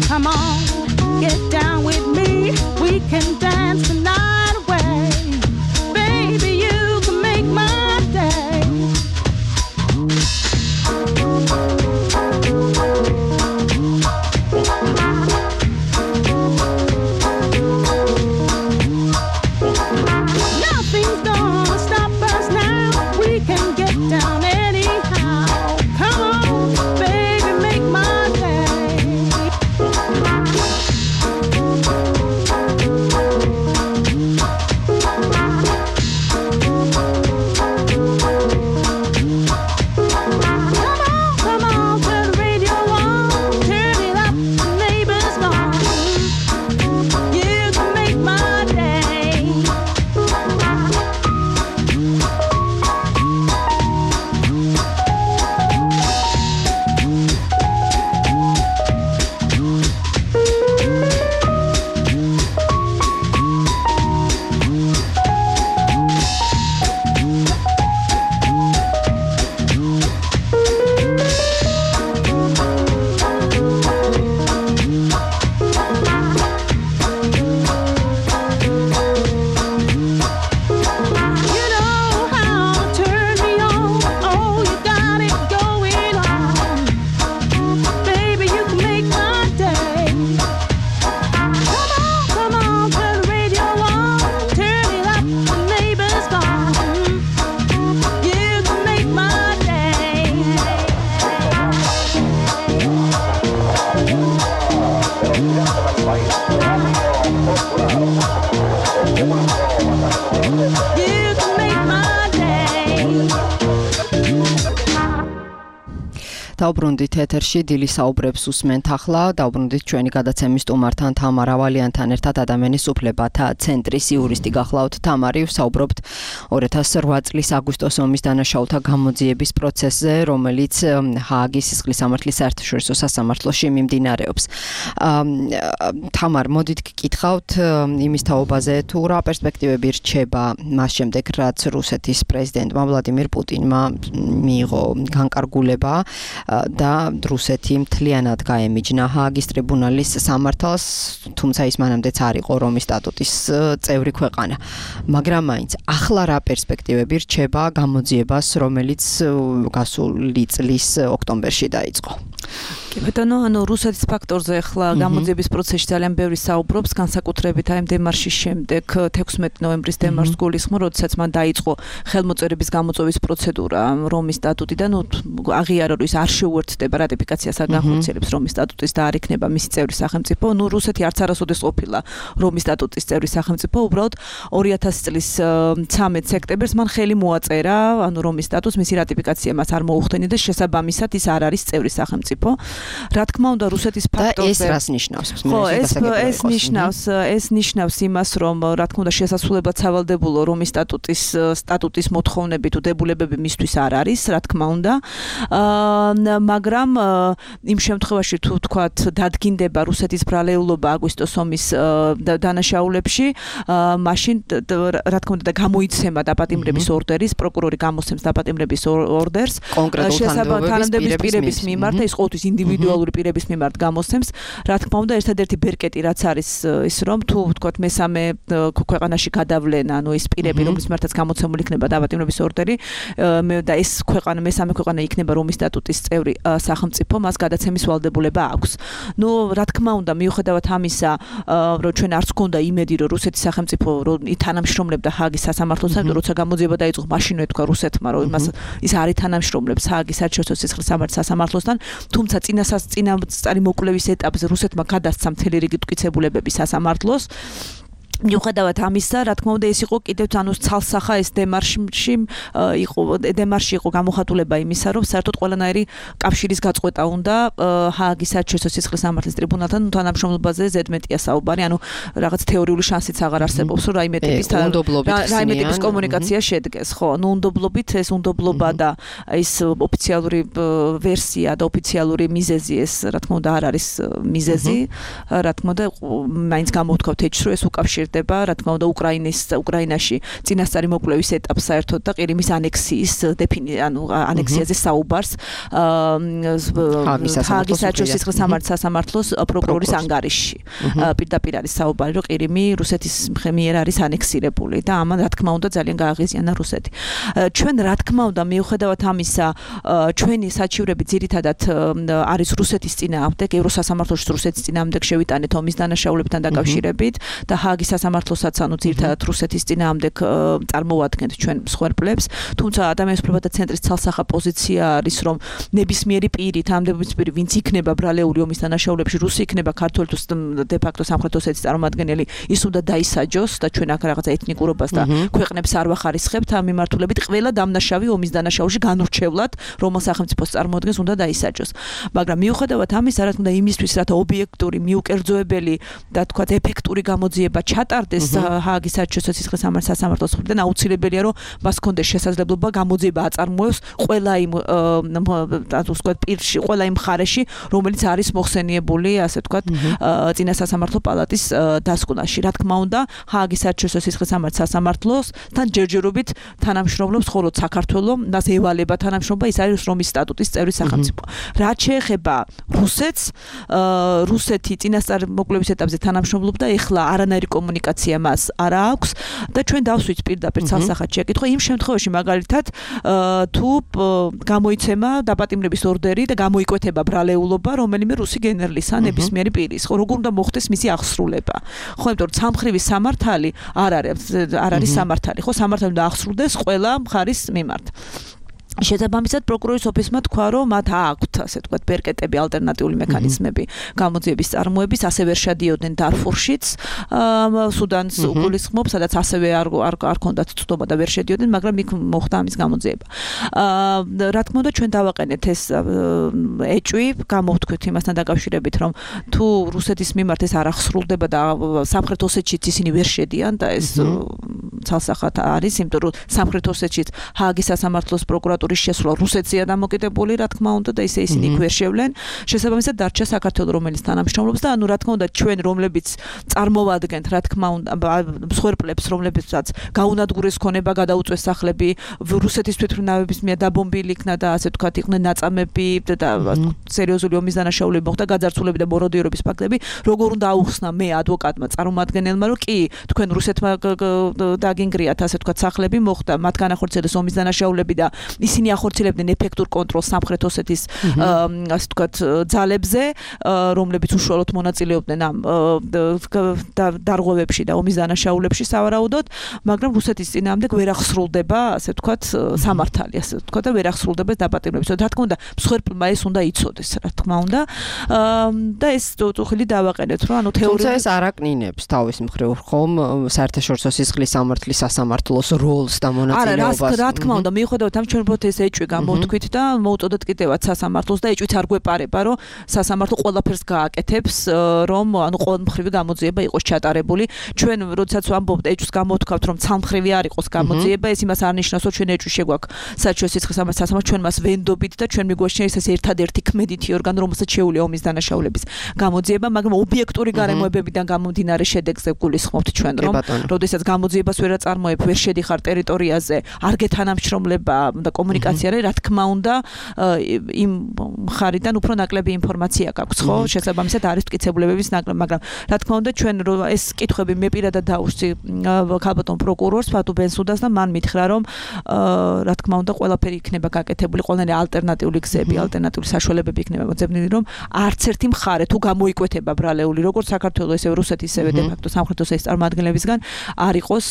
Come on, get down with me. We can dance the night away. Baby, you can make my day. Nothing's gonna stop us now. We can get down anyhow. Come on, baby, make my day. დაუბრუნდით ეთერში დილის საუბრებს უსმენთ ახლა დაუბრუნდით ჩვენი გადაცემის სტუმართან თამარ ავალიანთან ერთად ადამიანის უფლებათა ცენტრის იურისტი გახლავთ თამარი ვსაუბრობთ ორი ათას ოთხ წლის აგვისტოს ომის დანაშაულთა გამოძიების პროცესზე რომელიც ჰააგის სისხლის სამართლის საერთაშორისო სასამართლოში მიმდინარეობს თამარ მოდით გკითხავთ იმის თაობაზე თუ რა პერსპექტივები რჩება მას შემდეგ რაც რუსეთის პრეზიდენტმა ვლადიმირ პუტინმა მიიღო განკარგულება და რუსეთი მთლიანად გაემიჯნა ჰააგის ტრიბუნალის სამართალს, თუმცა ის მანამდეც არ იყო რომის სტატუტის წევრი ქვეყანა. მაგრამ მაინც ახლა რა პერსპექტივები რჩება გამოძიებას, რომელიც გასული წლის ოქტომბერში დაიწყო? კი ბატონო, ანუ რუსეთის ფაქტორზე ახლა გამოძიების პროცესში ძალიან ბევრი საუბრობს, განსაკუთრებით აი დემარშის შემდეგ თექვსმეტი ნოემბრის დემარშს გულისხმობ, როდესაც მან დაიწყო ხელმოწერების გამოწვევის პროცედურა რომის სტატუტიდან, აღიარა რომ ის არ შეუერთდება რატიფიკაციას არ განხორციელებს რომის სტატუტის და არ იქნება მისი წევრი სახელმწიფო. ნუ რუსეთი არც არასოდეს ყოფილა რომის სტატუტის წევრი სახელმწიფო, უბრალოდ ორი ათასი წლის ცამეტ სექტემბერს მან ხელი მოაწერა, ანუ რომის სტატუტს მისი რატიფიკაცია მას არ მოუხდენია და შესაბამისად ის არ არის წევრი სახელმწიფო. რა თქმა უნდა რუსეთის ფაქტორზე და ეს რას ნიშნავს? ხო, ეს ეს ნიშნავს ეს ნიშნავს იმას, რომ რა თქმა უნდა შესაძლებლად სავალდებულო რომის სტატუტის სტატუტის მოთხოვნები თუ დებულებები მისთვის არ არის, რა თქმა უნდა. მაგრამ იმ შემთხვევაში თუ თქვათ დადგინდება რუსეთის ბრალეულობა აგვისტოს ომის დანაშაულებში, მაშინ რა თქმა უნდა გამოიცემა დაპატიმრების ორდერის, პროკურორი გამოსცემს დაპატიმრების ორდერს შესაბამისად პირების მიმართ, ეს ყოველთვის ინდივიდუალური პირების მიმართ გამოსცემს. რა თქმა უნდა ერთადერთი ბერკეტი რაც არის ის რომ თუ თქვათ მესამე ქვეყანაში გადავლენა, ანუ ის პირები რომლის მიმართაც გამოცემული იქნება დაპატიმრების ორდერი და ეს ქვეყანა მესამე ქვეყანა იქნება რომის სტატუტის წევრი სახელმწიფო, მას გადაცემის ვალდებულება აქვს. ნუ რა თქმა უნდა მიუხედავად ამისა, რომ ჩვენ არც გქონდა იმედი რომ რუსეთის სახელმწიფო თანამშრომლებდა ჰააგის სასამართლოსთან, როცა გამოძიება დაიწყო, მაშინვე თქვა რუსეთმა რომ იმას ის არ ითანამშრომლებს ჰააგის საერთაშორისო სისხლის სამართლის სასამართლოსთან, თუმცა წინასას წინასწარი მოკვლევის ეტაპზე რუსეთმა გადასცა მთელი რიგი მტკიცებულებები სასამართლოს. მიუხედავად ამისა, რა თქმა უნდა, ეს იყო კიდევ ანუ ცალსახა ეს დემარში იყო დემარში იყო გამოხატულება იმისა, რომ საერთოდ ყველანაირი კავშირის გაწყვეტა უნდა ჰააგის საერთაშორისო სისხლის სამართლის ტრიბუნალთან თანამშრომლობაზე ზედმეტია საუბარი, ანუ რაღაც თეორიული შანსიც აღარ არსებობს, რომ რაიმე ტიპის რაიმე ტიპის კომუნიკაცია შედგეს, ხო, ანუ უნდობლობით ეს უნდობლობა და ეს ოფიციალური ვერსია და ოფიციალური მიზეზი ეს რა თქმა უნდა არ არის მიზეზი, რა თქმა უნდა, მაინც გამოვთქვათ ეჭს, რომ ეს უკავშირდება რა თქმა უნდა უკრაინის უკრაინაში წინასწარი მოკვლევის ეტაპს საერთოდ და ყირიმის ანექსიის დეფინი ანუ ანექსიაზე საუბარს ჰააგის საერთაშორისო სისხლის სამართლის სასამართლოს პროკურორის ანგარიშში პირდაპირ არის საუბარი რომ ყირიმი რუსეთის მიერ არის ანექსირებული და ამან რა თქმა უნდა ძალიან გააღიზიანა რუსეთი. ჩვენ რა თქმა უნდა მიუხედავად ამისა ჩვენი საჩივრები ძირითადად არის რუსეთის წინააღმდეგ, ევროსასამართლოში რუსეთის წინააღმდეგ შევიტანეთ ომის დანაშაულებთან დაკავშირებით და ჰააგის სასამართლოსაც ანუ ძირითადად რუსეთის წინააღმდეგ წარმოვადგენთ ჩვენ მსხვერპლებს, თუმცა ადამიანის უფლებათა ცენტრის ცალსახა პოზიცია არის რომ ნებისმიერი პირი, თანამდებობის პირი, ვინც იქნება ბრალეული ომის დანაშაულებში, რუსი იქნება ქართველი თუ დე ფაქტო სამხრეთ ოსეთის წარმომადგენელი, ის უნდა დაისაჯოს და ჩვენ აქ რაღაცა ეთნიკურობას და ქვეყნებს არ ვახარისხებთ ამ მიმართულებით, ყველა დამნაშავე ომის დანაშაულში განურჩევლად რომელ სახელმწიფოს წარმოადგენს უნდა დაისაჯოს. მაგრამ მიუხედავად ამისა, რა თქმა უნდა იმისთვის, რათა ობიექტური, მიუკერძოებელი და თქვათ ეფექტური გამოძიება ჩატარდეს ჰააგის საერთაშორისო სისხლის სამართლის სასამართლოს მხრიდან, აუცილებელია რომ მას ჰქონდეს შესაძლებლობა გამოძიება აწარმოოს ყველა იმ ასე ვთქვათ პირში, ყველა იმ მხარეში, რომელიც არის მოხსენიებული, ასე ვთქვათ, წინა სასამართლო პალატის დასკვნაში. რა თქმა უნდა, ჰააგის საერთაშორისო სისხლის სამართლის სასამართლოსთან ჯერჯერობით თანამშრომლობს მხოლოდ საქართველოს, მას ევალება თანამშრომლობა, ის არის რომის სტატუტის წევრი სახელმწიფო. რაც შეეხება რუსეთს, რუსეთი წინასწარ მოკვლევის ეტაპზე თანამშრომლობდა, ეხლა არანაირი კომუნიკაცია მას არ აქვს და ჩვენ დავსვით პირდაპირ ცალსახად შეკითხვა იმ შემთხვევაში მაგალითად თუ გამოიცემა დაპატიმრების ორდერი და გამოიკვეთება ბრალეულობა რომელიმე რუსი გენერლის ან ნებისმიერი პირის, ხო როგორ უნდა მოხდეს მისი აღსრულება, ხო იმიტომ რომ სამხრივი სამართალი არ არის არ არის სამართალი, ხო სამართალი უნდა აღსრულდეს ყველა მხარის მიმართ. შესაბამისად პროკურორის ოფისმა თქვა, რომ მათ აქვთ, ასე ვთქვათ, ბერკეტები, ალტერნატიული მექანიზმები გამოძიების წარმოების, ასე ვერ შედიოდნენ დარფურშიც, სუდანს უგულისხმობს, სადაც ასევე არ არ ქონდათ წვდომა და ვერ შედიოდნენ, მაგრამ იქ მოხდა ამის გამოძიება. რა თქმა უნდა, ჩვენ დავაყენეთ ეს ეჭვი, გამოვთქვით იმასთან დაკავშირებით, რომ თუ რუსეთის მიმართ ეს არ აღსრულდება და სამხრეთ ოსეთშიც ისინი ვერ შედიან და ეს ცალსახად არის, იმიტომ რომ სამხრეთ ოსეთშიც ჰააგის სასამართლოს პროკურატურის შესვლა რუსეთზეა დამოკიდებული, რა თქმა უნდა, და ისე ისინი იქ ვერ შევლენ. შესაბამისად დარჩა საქართველო, რომელიც თანამშრომლობს და ანუ რა თქმა უნდა, ჩვენ რომლებიც წარმოვადგენთ, რა თქმა უნდა, მსხვერპლებს, რომლებიცაც გაუნადგურეს ქონება, გადაუწვეს სახლები, რუსეთის თვითმფრინავების მიერ დაბომბილი იქნა და ასე ვთქვათ, იყვნენ ნაწამები და სერიოზული ომის დანაშაულები მოხდა, გაძარცვულები და მოროდიერობის ფაქტები, როგორ უნდა აუხსნა მე ადვოკატმა წარმომადგენელმა, რომ კი, თქვენ რუსეთმა დაგინგრიათ, ასე ვთქვათ, სახლები მოხდა, მათ განახორციელეს ომის დანაშაულები და ისინი ახორციელებდნენ ეფექტურ კონტროლს სამხრეთ ოსეთის ასე ვთქვათ ძალებზე, რომლებიც უშუალოდ მონაწილეობდნენ ამ დარღვევებში და ომის დანაშაულებში სავარაუდოდ, მაგრამ რუსეთის წინააღმდეგ ვერ აღსრულდება, ასე ვთქვათ, სამართალი, ასე ვთქვათ, და ვერ აღსრულდება დაპატიმრების. რა თქმა უნდა, მსხვერპლმა ეს უნდა იცოდეს, რა თქმა უნდა. და ეს წუხილი დავაყენეთ, რომ ანუ თეორიულად თუმცა ეს არაკნინებს თავის მხრივ ხომ საერთაშორისო სისხლის სამართლის სასამართლოს როლს და მონაწილეობას. არა, რა თქმა უნდა, მიუხედავად ამ ჩვენ უბრალოდ ეს ეჭვი გამოვთქვით და მოუწოდეთ კიდევაც სასამართლოს და ეჭვით არ გვეპარება, რომ სასამართლო ყველაფერს გააკეთებს, რომ ანუ ყოველმხრივი გამოძიება იყოს ჩატარებული. ჩვენ როდესაც ვამბობთ ეჭვს გამოვთქვათ, რომ ცალმხრივი არ იყოს გამოძიება, ეს იმას არ ნიშნავს, რომ ჩვენ ეჭვი შეგვაქვს საერთაშორისო სისხლის სამართლის სასამართლოს, ჩვენ მას ვენდობით და ჩვენ მიგვაჩნია ეს ერთადერთი ქმედითი ორგანო, რომელსაც შეუძლია ომის დანაშაულების გამოძიება, მაგრამ ობიექტური გარემოებებიდან გამომდინარე შედეგზე გულისხმობთ ჩვენ, რომ როდესაც გამოძიებას ვერ აწარმოებ, ვერ შედიხარ ტერიტორიაზე, არ გეთანამშრომლება და კომუნიკაცია არის, რა თქმა უნდა, იმ მხარიდან უფრო ნაკლები ინფორმაცია გაქვს, ხო? შესაბამისად არის მტკიცებულებების ნაკლები, მაგრამ რა თქმა უნდა, ჩვენ ეს კითხვები მე პირადად დავუსწი ქალბატონ პროკურორს ფატუ ბენსუდას და მან მითხრა, რომ რა თქმა უნდა, ყველაფერი იქნება გაკეთებული, ყველანი ალტერნატიული გზები, ალტერნატიული საშუალებები იქნება მოძებნილი, რომ არც ერთი მხარე თუ გამოიკვეთება ბრალეული, როგორც საქართველოს, ისე რუსეთის, ისე დე ფაქტო სამხრეთ ოსეთის წარმომადგენლებისგან არ იყოს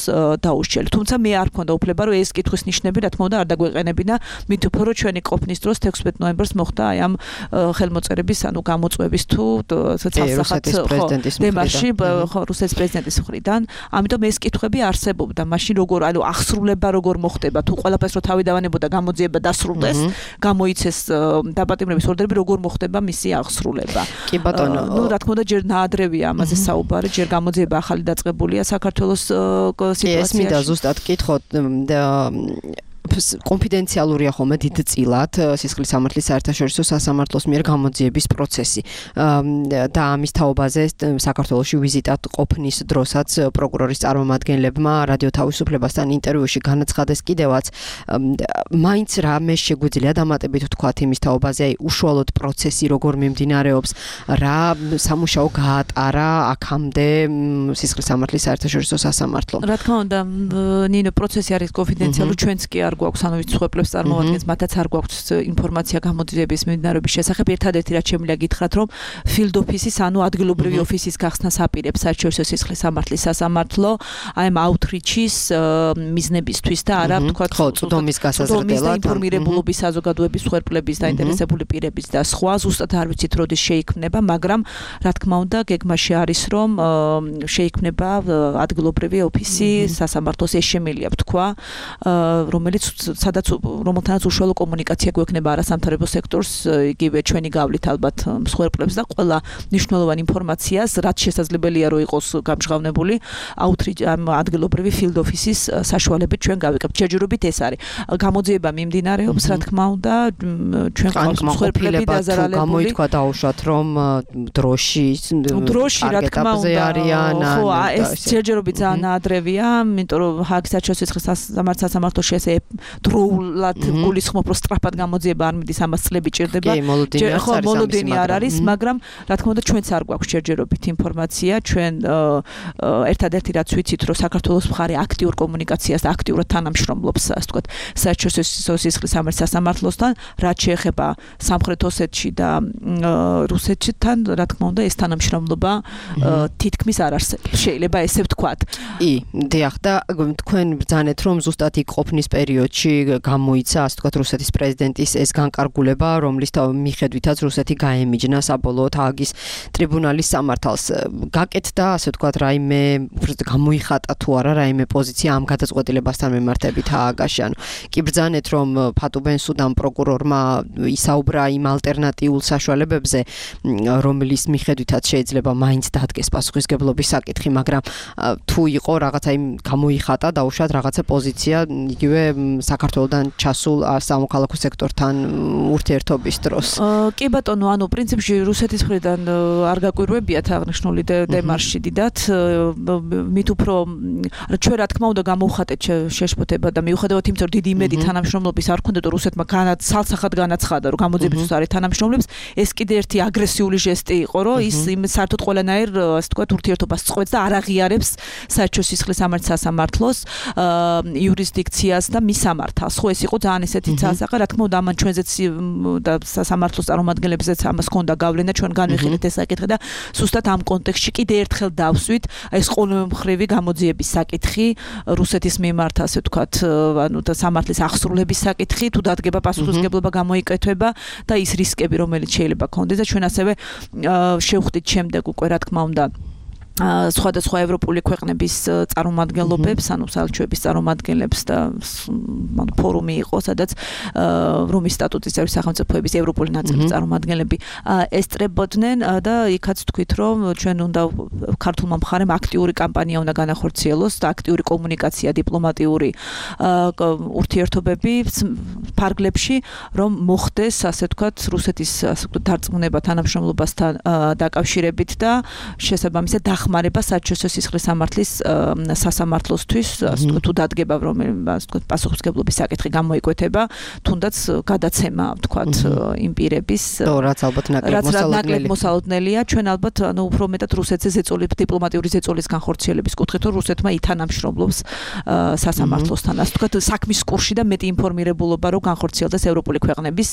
დაუსჯელი. თუმცა მე არ მქონდა უფლება, რომ ეს კითხვის ნიშნები, რა თქმა უნდა, არ დაგვეყენებინა, მით უფრო რომ ჩვენი ყოფნის დროს თექვსმეტ ნოემბერს მოხდა აი ამ ხელმოწერების, ანუ გამოწვევის თუ ცალსახად დემარში რუსეთის პრეზიდენტის მხრიდან. ამიტომ ეს კითხვები არსებობდა. მაშინ როგორ, ანუ აღსრულება როგორ მოხდება, თუ ყველაფერს რო თავი დავანებოდა გამოძიება დასრულდეს, გამოიცეს დაპატიმრების ორდერები, როგორ მოხდება მისი აღსრულება. კი ბატონო, ნუ რა თქმა უნდა, ჯერ ნაადრევია ამაზე საუბარი, ჯერ გამოძიება ახალი დაწყებულია საქართველოს სიტუაციაში. ეს მინდა ზუსტად კითხოთ და კონფიდენციალურია ხოლმე დიდწილად სისხლის სამართლის საერთაშორისო სასამართლოს მიერ გამოძიების პროცესი და ამის თაობაზე საქართველოში ვიზიტად ყოფნის დროსაც პროკურორის წარმომადგენლებმა რადიო თავისუფლებასთან ინტერვიუში განაცხადეს კიდევაც მაინც რამე შეგვიძლია დამატებით ვთქვათ იმის თაობაზე, აი უშუალოდ პროცესი როგორ მიმდინარეობს, რა სამუშაო გაატარა აქამდე სისხლის სამართლის საერთაშორისო სასამართლო. რა თქმა უნდა, ნინო პროცესი არის კონფიდენციალური, ჩვენც კი არ გვაქვს, ანუ ვინც მსხვერპლებს წარმოვადგენს, მათაც არ გვაქვს ინფორმაცია გამოძიების მიმდინარეობის შესახებ. ერთადერთი რაც შემიძლია გითხრათ, რომ field office-ის, ანუ ადგილობრივი ოფისის გახსნას აპირებს საერთაშორისო სისხლის სამართლის სასამართლო, აი ამ outreach-ის მიზნებისთვის და არა, ვთქვათ, ხო, წვდომის გასაზრდელად, ინფორმირებულობის საზოგადოების მსხვერპლების და ინტერესებული პირების და სხვა, ზუსტად არ ვიცით როდის შეიქმნება, მაგრამ რა თქმა უნდა, გეგმაში არის, რომ შეიქმნება ადგილობრივი ოფისი სასამართლოს, ეს შემიძლია ვთქვა, რომელიც სადაც რომელთანაც უშუალო კომუნიკაცია გვექნება არასამთავრებო სექტორს, იგივე ჩვენი გავლით ალბათ მსხვერპლებს და ყველა მნიშვნელოვანი ინფორმაციას, რაც შესაძლებელია რომ იყოს გამჟღავნებული, outreach ადგილობრივი field office-ის საშუალებით ჩვენ გავიკეთებთ. ჯერჯერობით ეს არის. გამოძიება მიმდინარეობს, რა თქმა უნდა, ჩვენ ყავს მსხვერპლები დაზარალებული. გამოითქვა დაუშვათ, რომ დროში დროში რა თქმა უნდა არიან. ხო, ეს ჯერჯერობით ძალიან ნაადრევია, იმიტომ რომ ჰააგის საერთაშორისო სასამართლოში ესე დროულად გულისხმობ, რომ სწრაფად გამოძიება არ მიდის, ამას წლები ჭირდება. ხო, მოლოდინი არ არის, მაგრამ რა თქმა უნდა, ჩვენც არ გვაქვს ჯერჯერობით ინფორმაცია, ჩვენ ერთადერთი რაც ვიცით, რომ საქართველოს მხარე აქტიურ კომუნიკაციას და აქტიურად თანამშრომლობს, ასე ვთქვათ, საერთაშორისო სისხლის სამართლის სასამართლოსთან, რაც შეეხება სამხრეთ ოსეთში და რუსეთთან, რა თქმა უნდა, ეს თანამშრომლობა თითქმის არ არსებობს. შეიძლება ესე ვთქვათ. ი, დიახ, და თქვენ ბრძანეთ, რომ ზუსტად იქ ყოფნის პერიოდში პერიოდში გამოიცა, ასე ვთქვათ, რუსეთის პრეზიდენტის ეს განკარგულება, რომლის მიხედვითაც რუსეთი გაემიჯნა საბოლოოდ ჰააგის ტრიბუნალის სამართალს. გაკეთდა, ასე ვთქვათ, რაიმე გამოიხატა თუ არა რაიმე პოზიცია ამ გადაწყვეტილებასთან მიმართებით ჰააგაში. ანუ კი ბრძანეთ, რომ ფატუ ბენსუდან პროკურორმა ისაუბრა იმ ალტერნატიულ საშუალებებზე, რომლის მიხედვითაც შეიძლება მაინც დადგეს პასუხისგებლობის საკითხი, მაგრამ თუ იყო რაღაცა იმ გამოიხატა დაუშვათ რაღაცა პოზიცია იგივე საქართველოსთან ჩასულ სამოქალაქო სექტორთან ურთიერთობის დროს. კი ბატონო, ანუ პრინციპში რუსეთის მხრიდან არ გაკვირვებიათ აღნიშნული დემარში დიდად, მით უფრო ჩვენ რა თქმა უნდა გამოვხატეთ შეშფოთება და მიუხედავად იმისა, რომ დიდი იმედი თანამშრომლობის არ ქონდათ, რუსეთმა განაცალსახად განაცხადა, რომ გამოძიების არის თანამშრომლებს, ეს კიდე ერთი აგრესიული ჟესტი იყო, რომ ის იმ საერთოდ ყველანაირ, ასე ვთქვათ, ურთიერთობას წყვეტს და არ აღიარებს საერთო სისხლის სამართლის სასამართლოს იურისდიქციას და მის სამართალს. ხო, ეს იყო ძალიან ისეთი ცალსახე, რა თქმა უნდა, ამან ჩვენზეც და სასამართლოს წარმომადგენლებზეც ამას ჰქონდა გავლენა, ჩვენ განვიხილეთ ეს საკითხი და ზუსტად ამ კონტექსტში კიდე ერთხელ დავსვით ეს ყოველმხრივი გამოძიების საკითხი რუსეთის მიმართ, ასე ვთქვათ, ანუ და სამართლის აღსრულების საკითხი, თუ დადგება პასუხისმგებლობა გამოიკეთება და ის რისკები, რომელიც შეიძლება ქონდეს და ჩვენ ასევე შევხვდით შემდეგ უკვე, რა თქმა უნდა, სხვადასხვა ევროპული ქვეყნების წარმომადგენლობებს, ანუ საელჩოების წარმომადგენლებს და ფორუმი იყო, სადაც რომის სტატუტის წევრი სახელმწიფოების ევროპული ნაწილის წარმომადგენლები ესწრებოდნენ და იქაც თქვით, რომ ჩვენ უნდა ქართულმა მხარემ აქტიური კამპანია უნდა განახორციელოს და აქტიური კომუნიკაცია, დიპლომატიური ურთიერთობები ფარგლებში, რომ მოხდეს, ასე ვთქვათ, რუსეთის ასე ვთქვათ დარწმუნება თანამშრომლობასთან დაკავშირებით და შესაბამისად ხმარება საერთაშორისო სისხლის სამართლის სასამართლოსთვის, ასე ვთქვათ, თუ დადგება რომელიმე, ასე ვთქვათ, პასუხისმგებლობის საკითხი გამოიკვეთება, თუნდაც გადაცემა, ვთქვათ, იმ პირების, რაც ალბათ ნაკლებ მოსალოდნელია, ჩვენ ალბათ, ანუ უფრო მეტად რუსეთზე ზეწოლის, დიპლომატიური ზეწოლის განხორციელების კუთხით, რომ რუსეთმა ითანამშრომლობს სასამართლოსთან, ასე ვთქვათ, საქმის კურსში და მეტი ინფორმირებულობა რო განხორციელდეს ევროპული ქვეყნების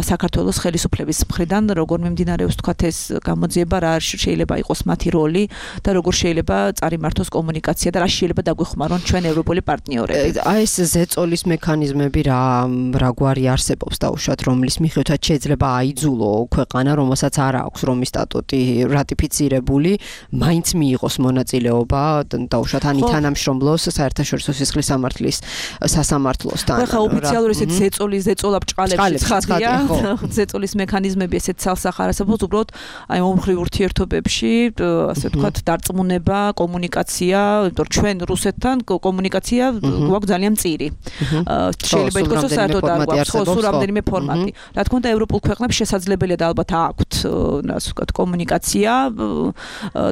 საქართველოს ხელისუფლების მხრიდან, როგორ მიმდინარეობს, ვთქვათ, ეს გამოძიება, რა შეიძლება იყოს მათი როლი და როგორ შეიძლება წარიმართოს კომუნიკაცია და რა შეიძლება დაგვეხმარონ ჩვენ ევროპული პარტნიორები. აი ეს ზეწოლის მექანიზმები რა რაგვარი არსებობს დაუშვათ, რომლის მიხედვითაც შეიძლება აიძულო ქვეყანა, რომელსაც არ აქვს რომის სტატუტი რატიფიცირებული, მაინც მიიღოს მონაწილეობა დაუშვათ ან თანამშრომლოს საერთაშორისო სისხლის სამართლის სასამართლოსთან. ხა ოფიციალური ესეთ ზეწოლის ზეწოლა ბჭყალებში ცხადია, ზეწოლის მექანიზმები ესეთ ცალსახარ არსებობს, უბრალოდ აი მომხრივ ურთიერთობებში, ასე ვთქვათ, დარწმუნება, კომუნიკაცია, იმიტომ რომ ჩვენ რუსეთთან კომუნიკაცია გვაქვს ძალიან მწირი. შეიძლება ითქვას, რომ საერთოდ არ გვაქვს სულ რამდენიმე ფორმატი. რა თქმა უნდა, ევროპულ ქვეყნებს შესაძლებელია და ალბათ აქვთ, ასე ვთქვათ, კომუნიკაცია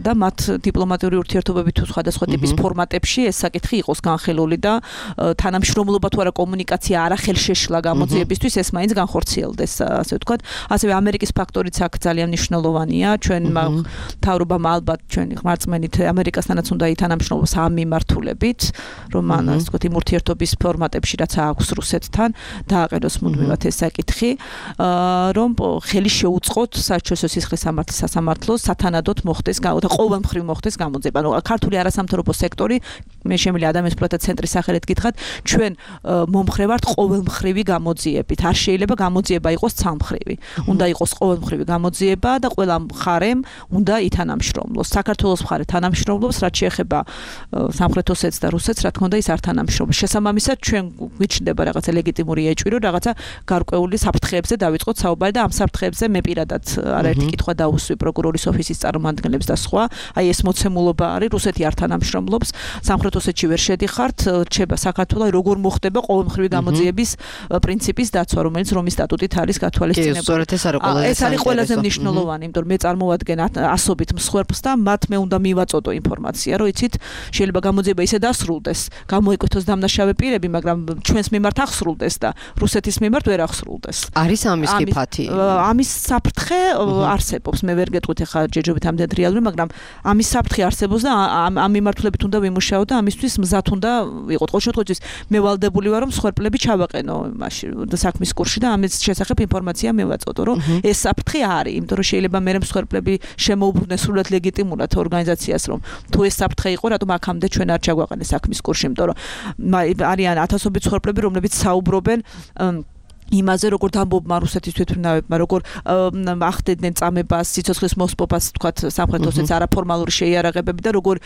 და მათ დიპლომატიური ურთიერთობები თუ სხვადასხვა ტიპის ფორმატებში ეს საკითხი იყოს განხილული და თანამშრომლობა თუ არა კომუნიკაცია არახელშეშლა გამოძიებისთვის ეს მაინც განხორციელდეს, ასე ვთქვათ. ასევე ამერიკის ფაქტორიც აქ ძალიან მნიშვნელოვანია. ჩვენ თავრობამ ალბათ ჩვენი ხმარწმენით ამერიკასთანაც უნდა ითანამშრომლოს ამ მიმართულებით, რომ ასე ვთქვათ, იმ ურთიერთობის ფორმატებში რაც აქვს რუსეთთან დააყენოს მუდმივად ეს საკითხი, რომ ხელი შეუწყოთ საერთაშორისო სისხლის სამართლის სასამართლოს სათანადოდ მოხდეს და ყოველმხრივ მოხდეს გამოძიება. ანუ ქართული არასამთავრობო სექტორი, მე შემიძლია ადამიანის პროტესტ ცენტრის სახელით გითხრათ, ჩვენ მომხრე ვართ ყოველმხრივი გამოძიებით. არ შეიძლება გამოძიება იყოს ცალმხრივი. უნდა იყოს ყოველმხრივი გამოძიება და ყველა მხარემ უნდა ითანამშრომლოს. საქართველოს მხარე თანამშრომლობს, რაც შეეხება სამხრეთ ოსეთს და რუსეთს, რა თქმა უნდა, ის არ თანამშრომლობს. შესაბამისად, ჩვენ გვიჩნდება რაღაცა ლეგიტიმური ეჭვი, რომ რაღაცა გარკვეული საფრთხეებზე დავიწყოთ საუბარი და ამ საფრთხეებზე მე პირადად არაერთი კითხვა დაუსვი პროკურორის ოფისის წარმომადგენლებს და სხვა. აი ეს მოცემულობა არის, რუსეთი არ თანამშრომლობს, სამხრეთ ოსეთში ვერ შედიხართ, რჩება საქართველოს როგორ მოხდება ყოველმხრივი გამოძიების პრინციპის დაცვა, რომელიც რომის სტატუტით არის გათვალისწინებული. ეს არის ყველაზე მნიშვნელოვანი, იმიტომ რომ მე წარმოვადგენ ასობით მსხვერპლს და მათ მე უნდა მივაწოდო ინფორმაცია, რომ იცით, შეიძლება გამოძიება ისე დასრულდეს, გამოიკვეთოს დამნაშავე პირები, მაგრამ ჩვენს მიმართ აღსრულდეს და რუსეთის მიმართ ვერ აღსრულდეს. არის ამის კი ფათი? ამის საფრთხე არსებობს, მე ვერ გეტყვით ახლა ჯერჯერობით ამდენ რეალური, მაგრამ ამის საფრთხე არსებობს და ამ მიმართულებით უნდა ვიმუშაო და ამისთვის მზად უნდა ვიყოთ. ყოველ შემთხვევაში მე ვალდებული ვარ, რომ მსხვერპლები ჩავაყენო მაშინ საქმის კურსში და ამის შესახებ ინფორმაცია მივაწოდო, რომ ეს საფრთხე არის, იმიტომ რომ შეიძლება მე მსხვერპლები შემოუბრუნდეს სრულად ლეგიტიმურად ერთ ორგანიზაციას, რომ თუ ეს საფრთხე იყო, რატომ აქამდე ჩვენ არ ჩაგვაყენეს საქმის კურსში, იმიტომ რომ არიან ათასობით ცხოვრები, რომლებიც საუბრობენ იმაზე როგორ დამბობმა რუსეთის თვითმფრინავებმა როგორ ახდედნენ წამებას სიცოცხლის მოსპობას თქვათ სამხრეთ ოსეთის არაფორმალური შეიარაღებები და როგორ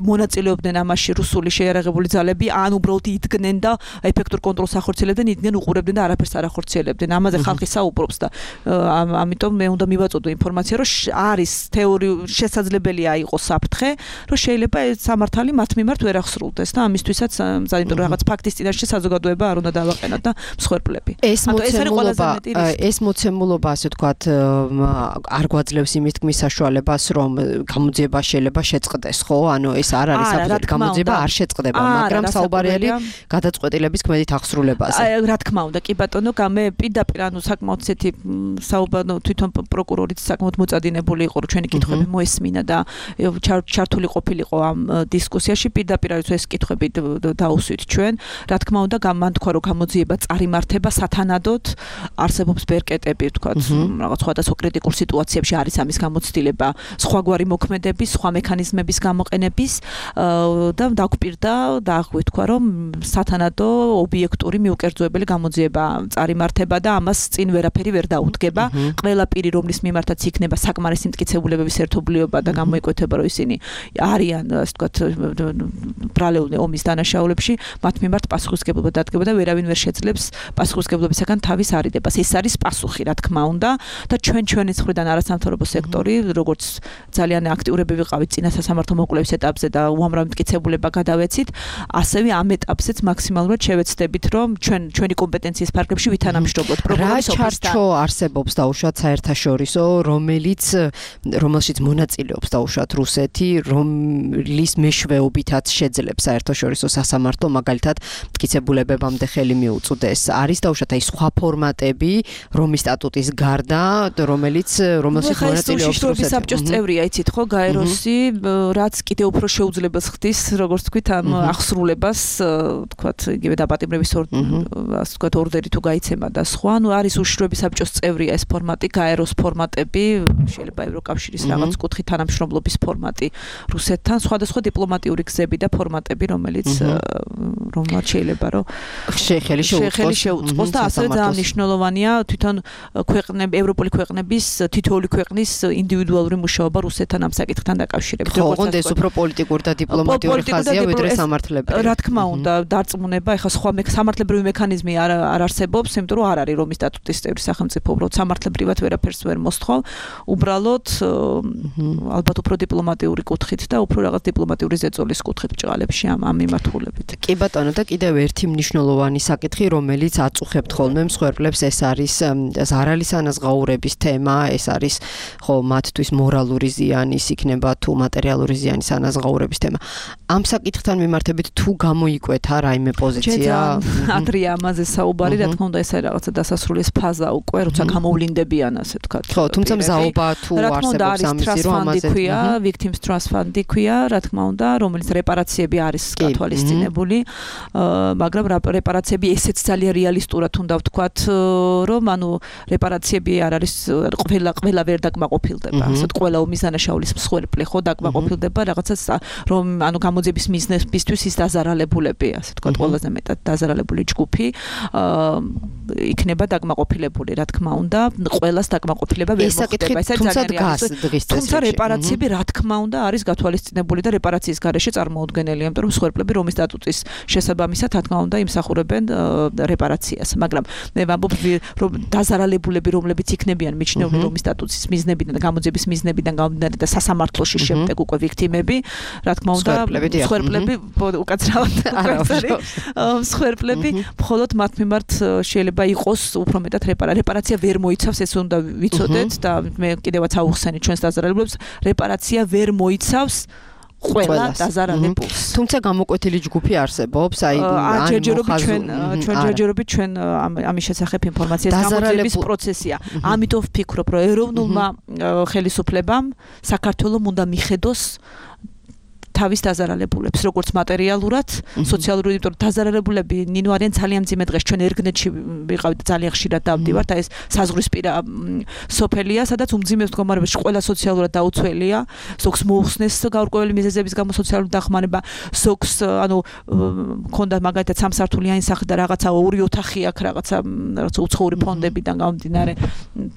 მონაწილეობდნენ ამაში რუსული შეიარაღებული ძალები ან უბრალოდ იდგნენ და ეფექტურ კონტროლს ახორციელებდნენ იდგნენ უყურებდნენ და არაფერს არ ახორციელებდნენ ამაზე ხალხი საუბრობს და ამიტომ მე უნდა მივაწოდო ინფორმაცია რომ არის თეორიული შესაძლებელია იყოს საფრთხე რომ შეიძლება ეს სამართალი მათ მიმართ ვერ ახსრულდეს და ამისთვისაც ძალიან რაღაც ფაქტის წინაშე საზოგადოება არ უნდა დავაყენოთ და მსხვერპლები ეს მოცემულობა ეს მოცემულობა ასე ვთქვათ არ გვაძლევს იმის თქმის საშუალებას რომ გამოძიება შეიძლება შეწყდეს ხო ანუ ეს არ არის საფრთხე გამოძიება არ შეწყდება მაგრამ საუბარია გადაწყვეტილების ქმედით ახსრულებაზე რა თქმა უნდა კი ბატონო გამე პირდაპირ ანუ საკმაოდ ცეთი საუბარო თვითონ პროკურორიც საკმაოდ მოწადინებული იყო რომ ჩვენი კითხვები მოესმინა და ჩართული ყოფილიყო ამ დისკუსიაში პირდაპირ არის ეს კითხვები დაუსვით ჩვენ რა თქმა უნდა გამანთქვა რომ გამოძიება წარიმართება სათანადოდ არსებობს ბერკეტები ვთქვათ რაღაც სხვადასხვა კრიტიკულ სიტუაციებში არის ამის გამოცდილება სხვაგვარი მოქმედების სხვა მექანიზმების გამოყენების და დაგვპირდა და აღვიქვა რომ სათანადო ობიექტური მიუკერძოებელი გამოძიება წარიმართება და ამას წინ ვერაფერი ვერ დაუდგება ყველა პირი რომლის მიმართაც იქნება საკმარისი მტკიცებულებების ერთობლიობა და გამოიკვეთება რომ ისინი არიან ასე ვთქვათ ბრალეული ომის დანაშაულებში მათ მიმართ პასუხისმგებლობა დადგება და ვერავინ ვერ შეძლებს პასუხისმგებლობისაგან თავის არიდებას. ეს არის პასუხი, რა თქმა უნდა, და ჩვენ ჩვენი მხრიდან არასამთავრობო სექტორი, როგორც ძალიან აქტიურები ვიყავით წინა სასამართლო მოკვლევის ეტაპზე და უამრავი მტკიცებულება გადავეცით, ასევე ამ ეტაპზეც მაქსიმალურად შევეცდებით, რომ ჩვენ ჩვენი კომპეტენციის ფარგლებში ვითანამშრომლოთ პროგრამის ოფისთან. რა ჩარჩო არსებობს დაუშვათ საერთაშორისო, რომელიც რომელშიც მონაწილეობს დაუშვათ რუსეთი, რომლის მეშვეობითაც შეძლებს საერთაშორისო სასამართლო მაგალითად მტკიცებულებებამდე ხელი მიუწვდეს. არის დაუშვათ აი სხვა ფორმატები, რომის სტატუტის გარდა, რომელიც რომელშიც მონაწილეობს რუსეთი. საბჭოს წევრია, იცით ხო, გაეროსი, რაც კიდევ უფრო შეუძლებელს ხდის, როგორც თქვით, ამ ახსრულებას, თქვათ, იგივე დაპატიმრების ასე თქვათ, ორდერი თუ გაიცემა და სხვა, ანუ არის უშიშროების საბჭოს წევრია ეს ფორმატი, გაეროს ფორმატები, შეიძლება ევროკავშირის რაღაც კუთხით თანამშრომლობის ფორმატი რუსეთთან, სხვადასხვა დიპლომატიური გზები და ფორმატები, რომელიც რომლაც შეიძლება რომ შეხელი შეხელი შეუწყოს და ასევე ძალიან მნიშვნელოვანია თვითონ ქვეყნები ევროპული ქვეყნების თითოეული ქვეყნის ინდივიდუალური მუშაობა რუსეთთან ამ საკითხთან დაკავშირებით. როგორც ეს უფრო პოლიტიკური და დიპლომატიური ხაზია ვიდრე სამართლებრივი. რა თქმა უნდა, დარწმუნება, ეხლა სხვა სამართლებრივი მექანიზმი არ არ არსებობს, იმიტომ რომ არ არის რომის სტატუტის წევრი სახელმწიფო, უბრალოდ სამართლებრივად ვერაფერს ვერ მოსთხოვ, უბრალოდ ალბათ უფრო დიპლომატიური კუთხით და უფრო რაღაც დიპლომატიური ზეწოლის კუთხით ჭღალებში ამ ამ მიმართულებით. კი ბატონო და კიდევ ერთი მნიშვნელოვანი საკითხი, რომელიც აწუხებთ ხოლმე მსხვერპლებს, ეს არის ზარალის ანაზღაურების თემა, ეს არის ხო მათთვის მორალური ზიანის იქნება თუ მატერიალური ზიანის ანაზღაურების თემა. ამ საკითხთან მიმართებით თუ გამოიკვეთა რაიმე პოზიცია? ადრია ამაზე საუბარი, რა თქმა უნდა, ეს არის რაღაცა დასასრულის ფაზა უკვე, როცა გამოვლინდებიან, ასე ვთქვათ. ხო, თუმცა მზაობა თუ არსებობს ამისი რომ ამაზე ქვია, victims trust fund ქვია, რა თქმა უნდა, რომელიც რეპარაციები არის გათვალისწინებული, მაგრამ რეპარაციები ესეც ძალიან რეალისტურად უნდა ვთქვათ, რომ ანუ რეპარაციები არ არის ყველა ყველა ვერ დაკმაყოფილდება. ასეთ ყველა ომის დანაშაულის მსხვერპლი ხო დაკმაყოფილდება რაღაცას რომ ანუ გამოძიების მიზნებისთვის ის დაზარალებულები, ასე ვთქვათ, ყველაზე მეტად დაზარალებული ჯგუფი იქნება დაკმაყოფილებული, რა თქმა უნდა, ყველას დაკმაყოფილება ვერ მოხდება. ეს ძალიან რეალისტური. თუმცა რეპარაციები რა თქმა უნდა არის გათვალისწინებული და რეპარაციის გარეშე წარმოუდგენელია, იმიტომ რომ მსხვერპლები რომის სტატუტის შესაბამისად რა თქმა უნდა იმსახურებენ რეპარაციას, მაგრამ მე ვამბობ რომ დაზარალებულები რომლებიც იქნებიან მიჩნეული რომის სტატუსის მიზნებიდან და გამოძიების მიზნებიდან გამომდინარე და სასამართლოში შემდეგ უკვე ვიქტიმები, რა თქმა უნდა, მსხვერპლები უკაცრავად მსხვერპლები მხოლოდ მათ მიმართ შეიძლება იყოს უფრო მეტად რეპარაცია ვერ მოიცავს, ეს უნდა ვიცოდეთ და მე კიდევაც აუხსენე ჩვენს დაზარალებულებს, რეპარაცია ვერ მოიცავს ყველა დაზარალებულს. თუმცა გამოკვეთილი ჯგუფი არსებობს, აი ან ჯერჯერობით ჩვენ ჩვენ ჯერჯერობით ჩვენ ამის შესახებ ინფორმაციას გამოძიების პროცესია. ამიტომ ვფიქრობ, რომ ეროვნულმა ხელისუფლებამ საქართველოს უნდა მიხედოს თავის დაზარალებულებს, როგორც მატერიალურად, სოციალურად, იმიტომ რომ დაზარალებულები ნინო არიან ძალიან მძიმე დღეს ჩვენ ერგნეთში ვიყავით ძალიან ხშირად დავდივართ, აი ეს საზღვრისპირა სოფელია, სადაც უმძიმეს მდგომარეობაში ყველა სოციალურად დაუცველია, ზოგს მოუხსნეს გაურკვეველი მიზეზების გამო სოციალური დახმარება, ზოგს ანუ მქონდა მაგალითად სამსართულიანი სახლი და რაღაცა ორი ოთახი აქვს რაღაცა რაღაცა უცხოური ფონდებიდან გამომდინარე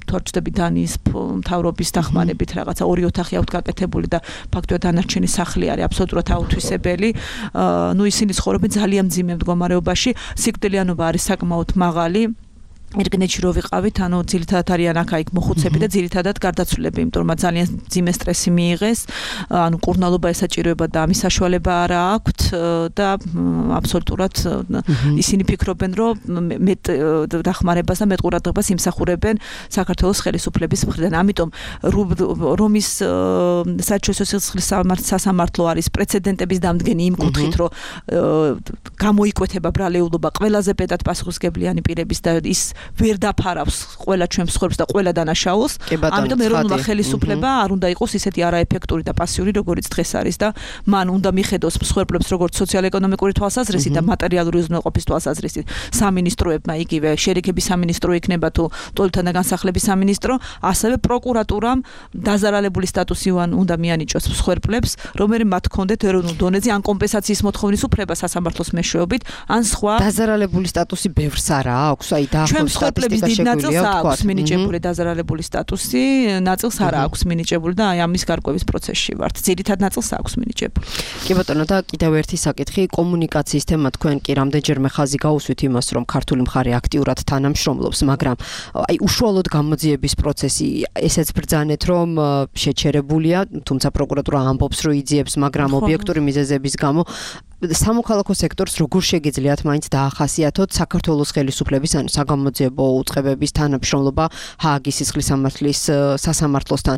თორჩდები დანის მთავრობის დახმარებით რაღაცა ორი ოთახი აქვს გაკეთებული და ფაქტობრივად დანარჩენი სახლი არის აბსოლუტურად აუთვისებელი. ნუ ისინი ცხოვრობენ ძალიან მძიმე მდგომარეობაში, სიკვდილიანობა არის საკმაოდ მაღალი. ერგნეთში რო ვიყავით, ანუ ძირითადად არიან აქ-იქ მოხუცები და ძირითადად გარდაცვლილები, იმიტომ რომ ძალიან ძიმე სტრესი მიიღეს, ანუ კურნალობა ესაჭიროება და ამის საშუალება არა აქვთ და აბსოლუტურად ისინი ფიქრობენ, რომ მეტ დახმარებას და მეტ ყურადღებას იმსახურებენ საქართველოს ხელისუფლების მხრიდან. ამიტომ რომის საერთაშორისო სისხლის სასამართლო არის პრეცედენტების დამდგენი იმ კუთხით, რომ გამოიკვეთება ბრალეულობა ყველაზე მეტად პასუხისმგებლიანი პირების და ის ვერ დაფარავს ყველა ჩვენს ცხოვრებას და ყველა დანაშაულს. ამიტომ ეროვნულმა ხელისუფლება არ უნდა იყოს ისეთი არაეფექტური და პასიური, როგორიც დღეს არის და მან უნდა მიხედოს მსხვერპლებს როგორც სოციალ-ეკონომიკური თვალსაზრისით და მატერიალური უზრუნველყოფის თვალსაზრისით. სამინისტროებმა იგივე შერიგების სამინისტრო იქნება თუ ტოლთან და განსახლების სამინისტრო, ასევე პროკურატურამ დაზარალებული სტატუსი უნდა მიანიჭოს მსხვერპლებს, რომელმ მათ ჰქონდეთ ეროვნულ დონეზე ან კომპენსაციის მოთხოვნის უფლება სასამართლოს მეშვეობით, ან სხვა დაზარალებული სტატუსი ბევრს არა აქვს, აი და მსხვერპლების დიდ ნაწილს აქვს მინიჭებული დაზარალებული სტატუსი, ნაწილს არა აქვს მინიჭებული და აი ამის გარკვევის პროცესში ვართ. ძირითად ნაწილს აქვს მინიჭებული. კი ბატონო, და კიდევ ერთი საკითხი, კომუნიკაციის თემა. თქვენ კი რამდენჯერმე ხაზი გაუსვით იმას, რომ ქართული მხარე აქტიურად თანამშრომლობს, მაგრამ აი უშუალოდ გამოძიების პროცესი ესეც ბრძანეთ, რომ შეჩერებულია, თუმცა პროკურატურა ამბობს, რომ იძიებს, მაგრამ ობიექტური მიზეზების გამო სამოქალაქო სექტორს როგორ შეგიძლიათ მაინც დაახასიათოთ საქართველოს ხელისუფლების ან საგამოძიებო უწყებების თანამშრომლობა ჰააგის სისხლის სამართლის სასამართლოსთან?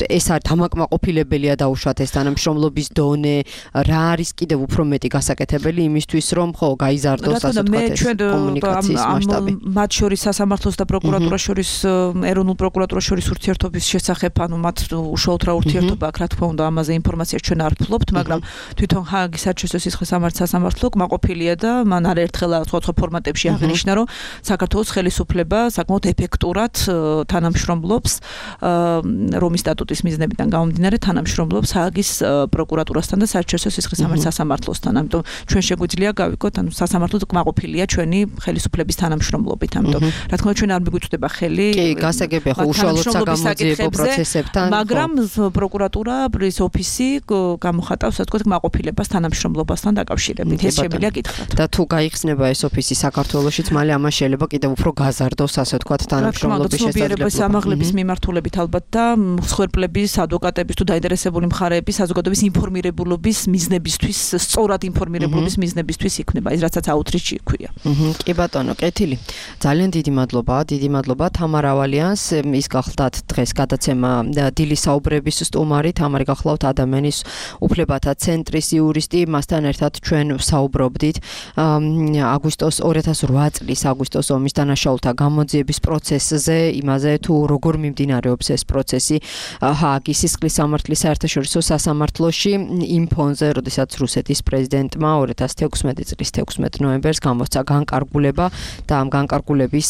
ეს არის დამაკმაყოფილებელია დაუშვათ ეს თანამშრომლობის დონე, რა არის კიდევ უფრო მეტი გასაკეთებელი იმისთვის, რომ ხო გაიზარდოს ასე ვთქვათ ეს კომუნიკაციის მასშტაბი? მათ შორის სასამართლოს და პროკურატურას შორის ეროვნულ პროკურატურას შორის ურთიერთობის შესახებ, ანუ მათ უშუალოდ რა ურთიერთობა აქვს, რა თქმა უნდა, ამაზე ინფორმაციას ჩვენ არ ვფლობთ, მაგრამ თვითონ ჰააგის საერთაშორისო სასამართლო კმაყოფილია და მან არაერთხელ სხვადასხვა ფორმატებში აღნიშნა, რომ საქართველოს ხელისუფლება საკმაოდ ეფექტურად თანამშრომლობს რომის სტატუტის მიზნებიდან გამომდინარე თანამშრომლობს ჰააგის პროკურატურასთან და საერთაშორისო სისხლის სასამართლოსთან. ამიტომ ჩვენ შეგვიძლია გავიგოთ, ანუ სასამართლო კმაყოფილია ჩვენი ხელისუფლების თანამშრომლობით. ამიტომ რა თქმა უნდა ჩვენ არ მიგვიწვდება ხელი კი გასაგებია ხო უშუალოდ საგამოძიებო პროცესებთან, მაგრამ პროკურატურა ის ოფისი გამოხატავს ასე ვთქვათ კმაყოფილებას თანამშრომლობას დაკავშირებით. ეს შემიძლია გითხრათ. და თუ გაიხსნება ეს ოფისი საქართველოშიც, მალე ამას შეიძლება კიდევ უფრო გაზარდოს, ასე ვთქვათ, თანამშრომლობის შესაძლებლობა. სამაღლების მიმართულებით ალბათ და მსხვერპლების, ადვოკატების თუ დაინტერესებული მხარეების საზოგადოების ინფორმირებულობის მიზნებისთვის, სწორად ინფორმირებულობის მიზნებისთვის იქნება ის, რასაც აუთრიჩი ქვია. კი ბატონო, კეთილი. ძალიან დიდი მადლობა, დიდი მადლობა თამარ ავალიანს. ის გახლდათ დღეს გადაცემა დილის საუბრების სტუმარი, თამარი გახლავთ ადამიანის უფლებათა ცენტრის იურისტი, მასთან ერთად ჩვენ საუბრობდით აგვისტოს ორი ათას რვა წლის აგვისტოს ომის დანაშაულთა გამოძიების პროცესზე, იმაზე თუ როგორ მიმდინარეობს ეს პროცესი ჰააგის სისხლის სამართლის საერთაშორისო სასამართლოში იმ ფონზე, როდესაც რუსეთის პრეზიდენტმა ორი ათას თექვსმეტი წლის თექვსმეტ ნოემბერს გამოსცა განკარგულება და ამ განკარგულების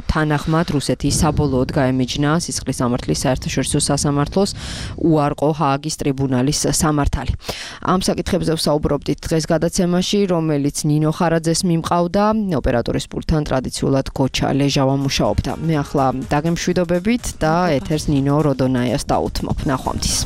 თანახმად რუსეთი საბოლოოდ გაემიჯნა სისხლის სამართლის საერთაშორისო სასამართლოს უარყო ჰააგის ტრიბუნალის სამართალი. ამ საკითხებზე საუბრობდით დღეს გადაცემაში, რომელიც ნინო ხარაძეს მიმყავდა, ოპერატორის პულტთან ტრადიციულად გოჩა ლეჟავა მუშაობდა. მე ახლა დაგემშვიდობებით და ეთერს ნინო როდონაიას დაუთმობ. ნახვამდის.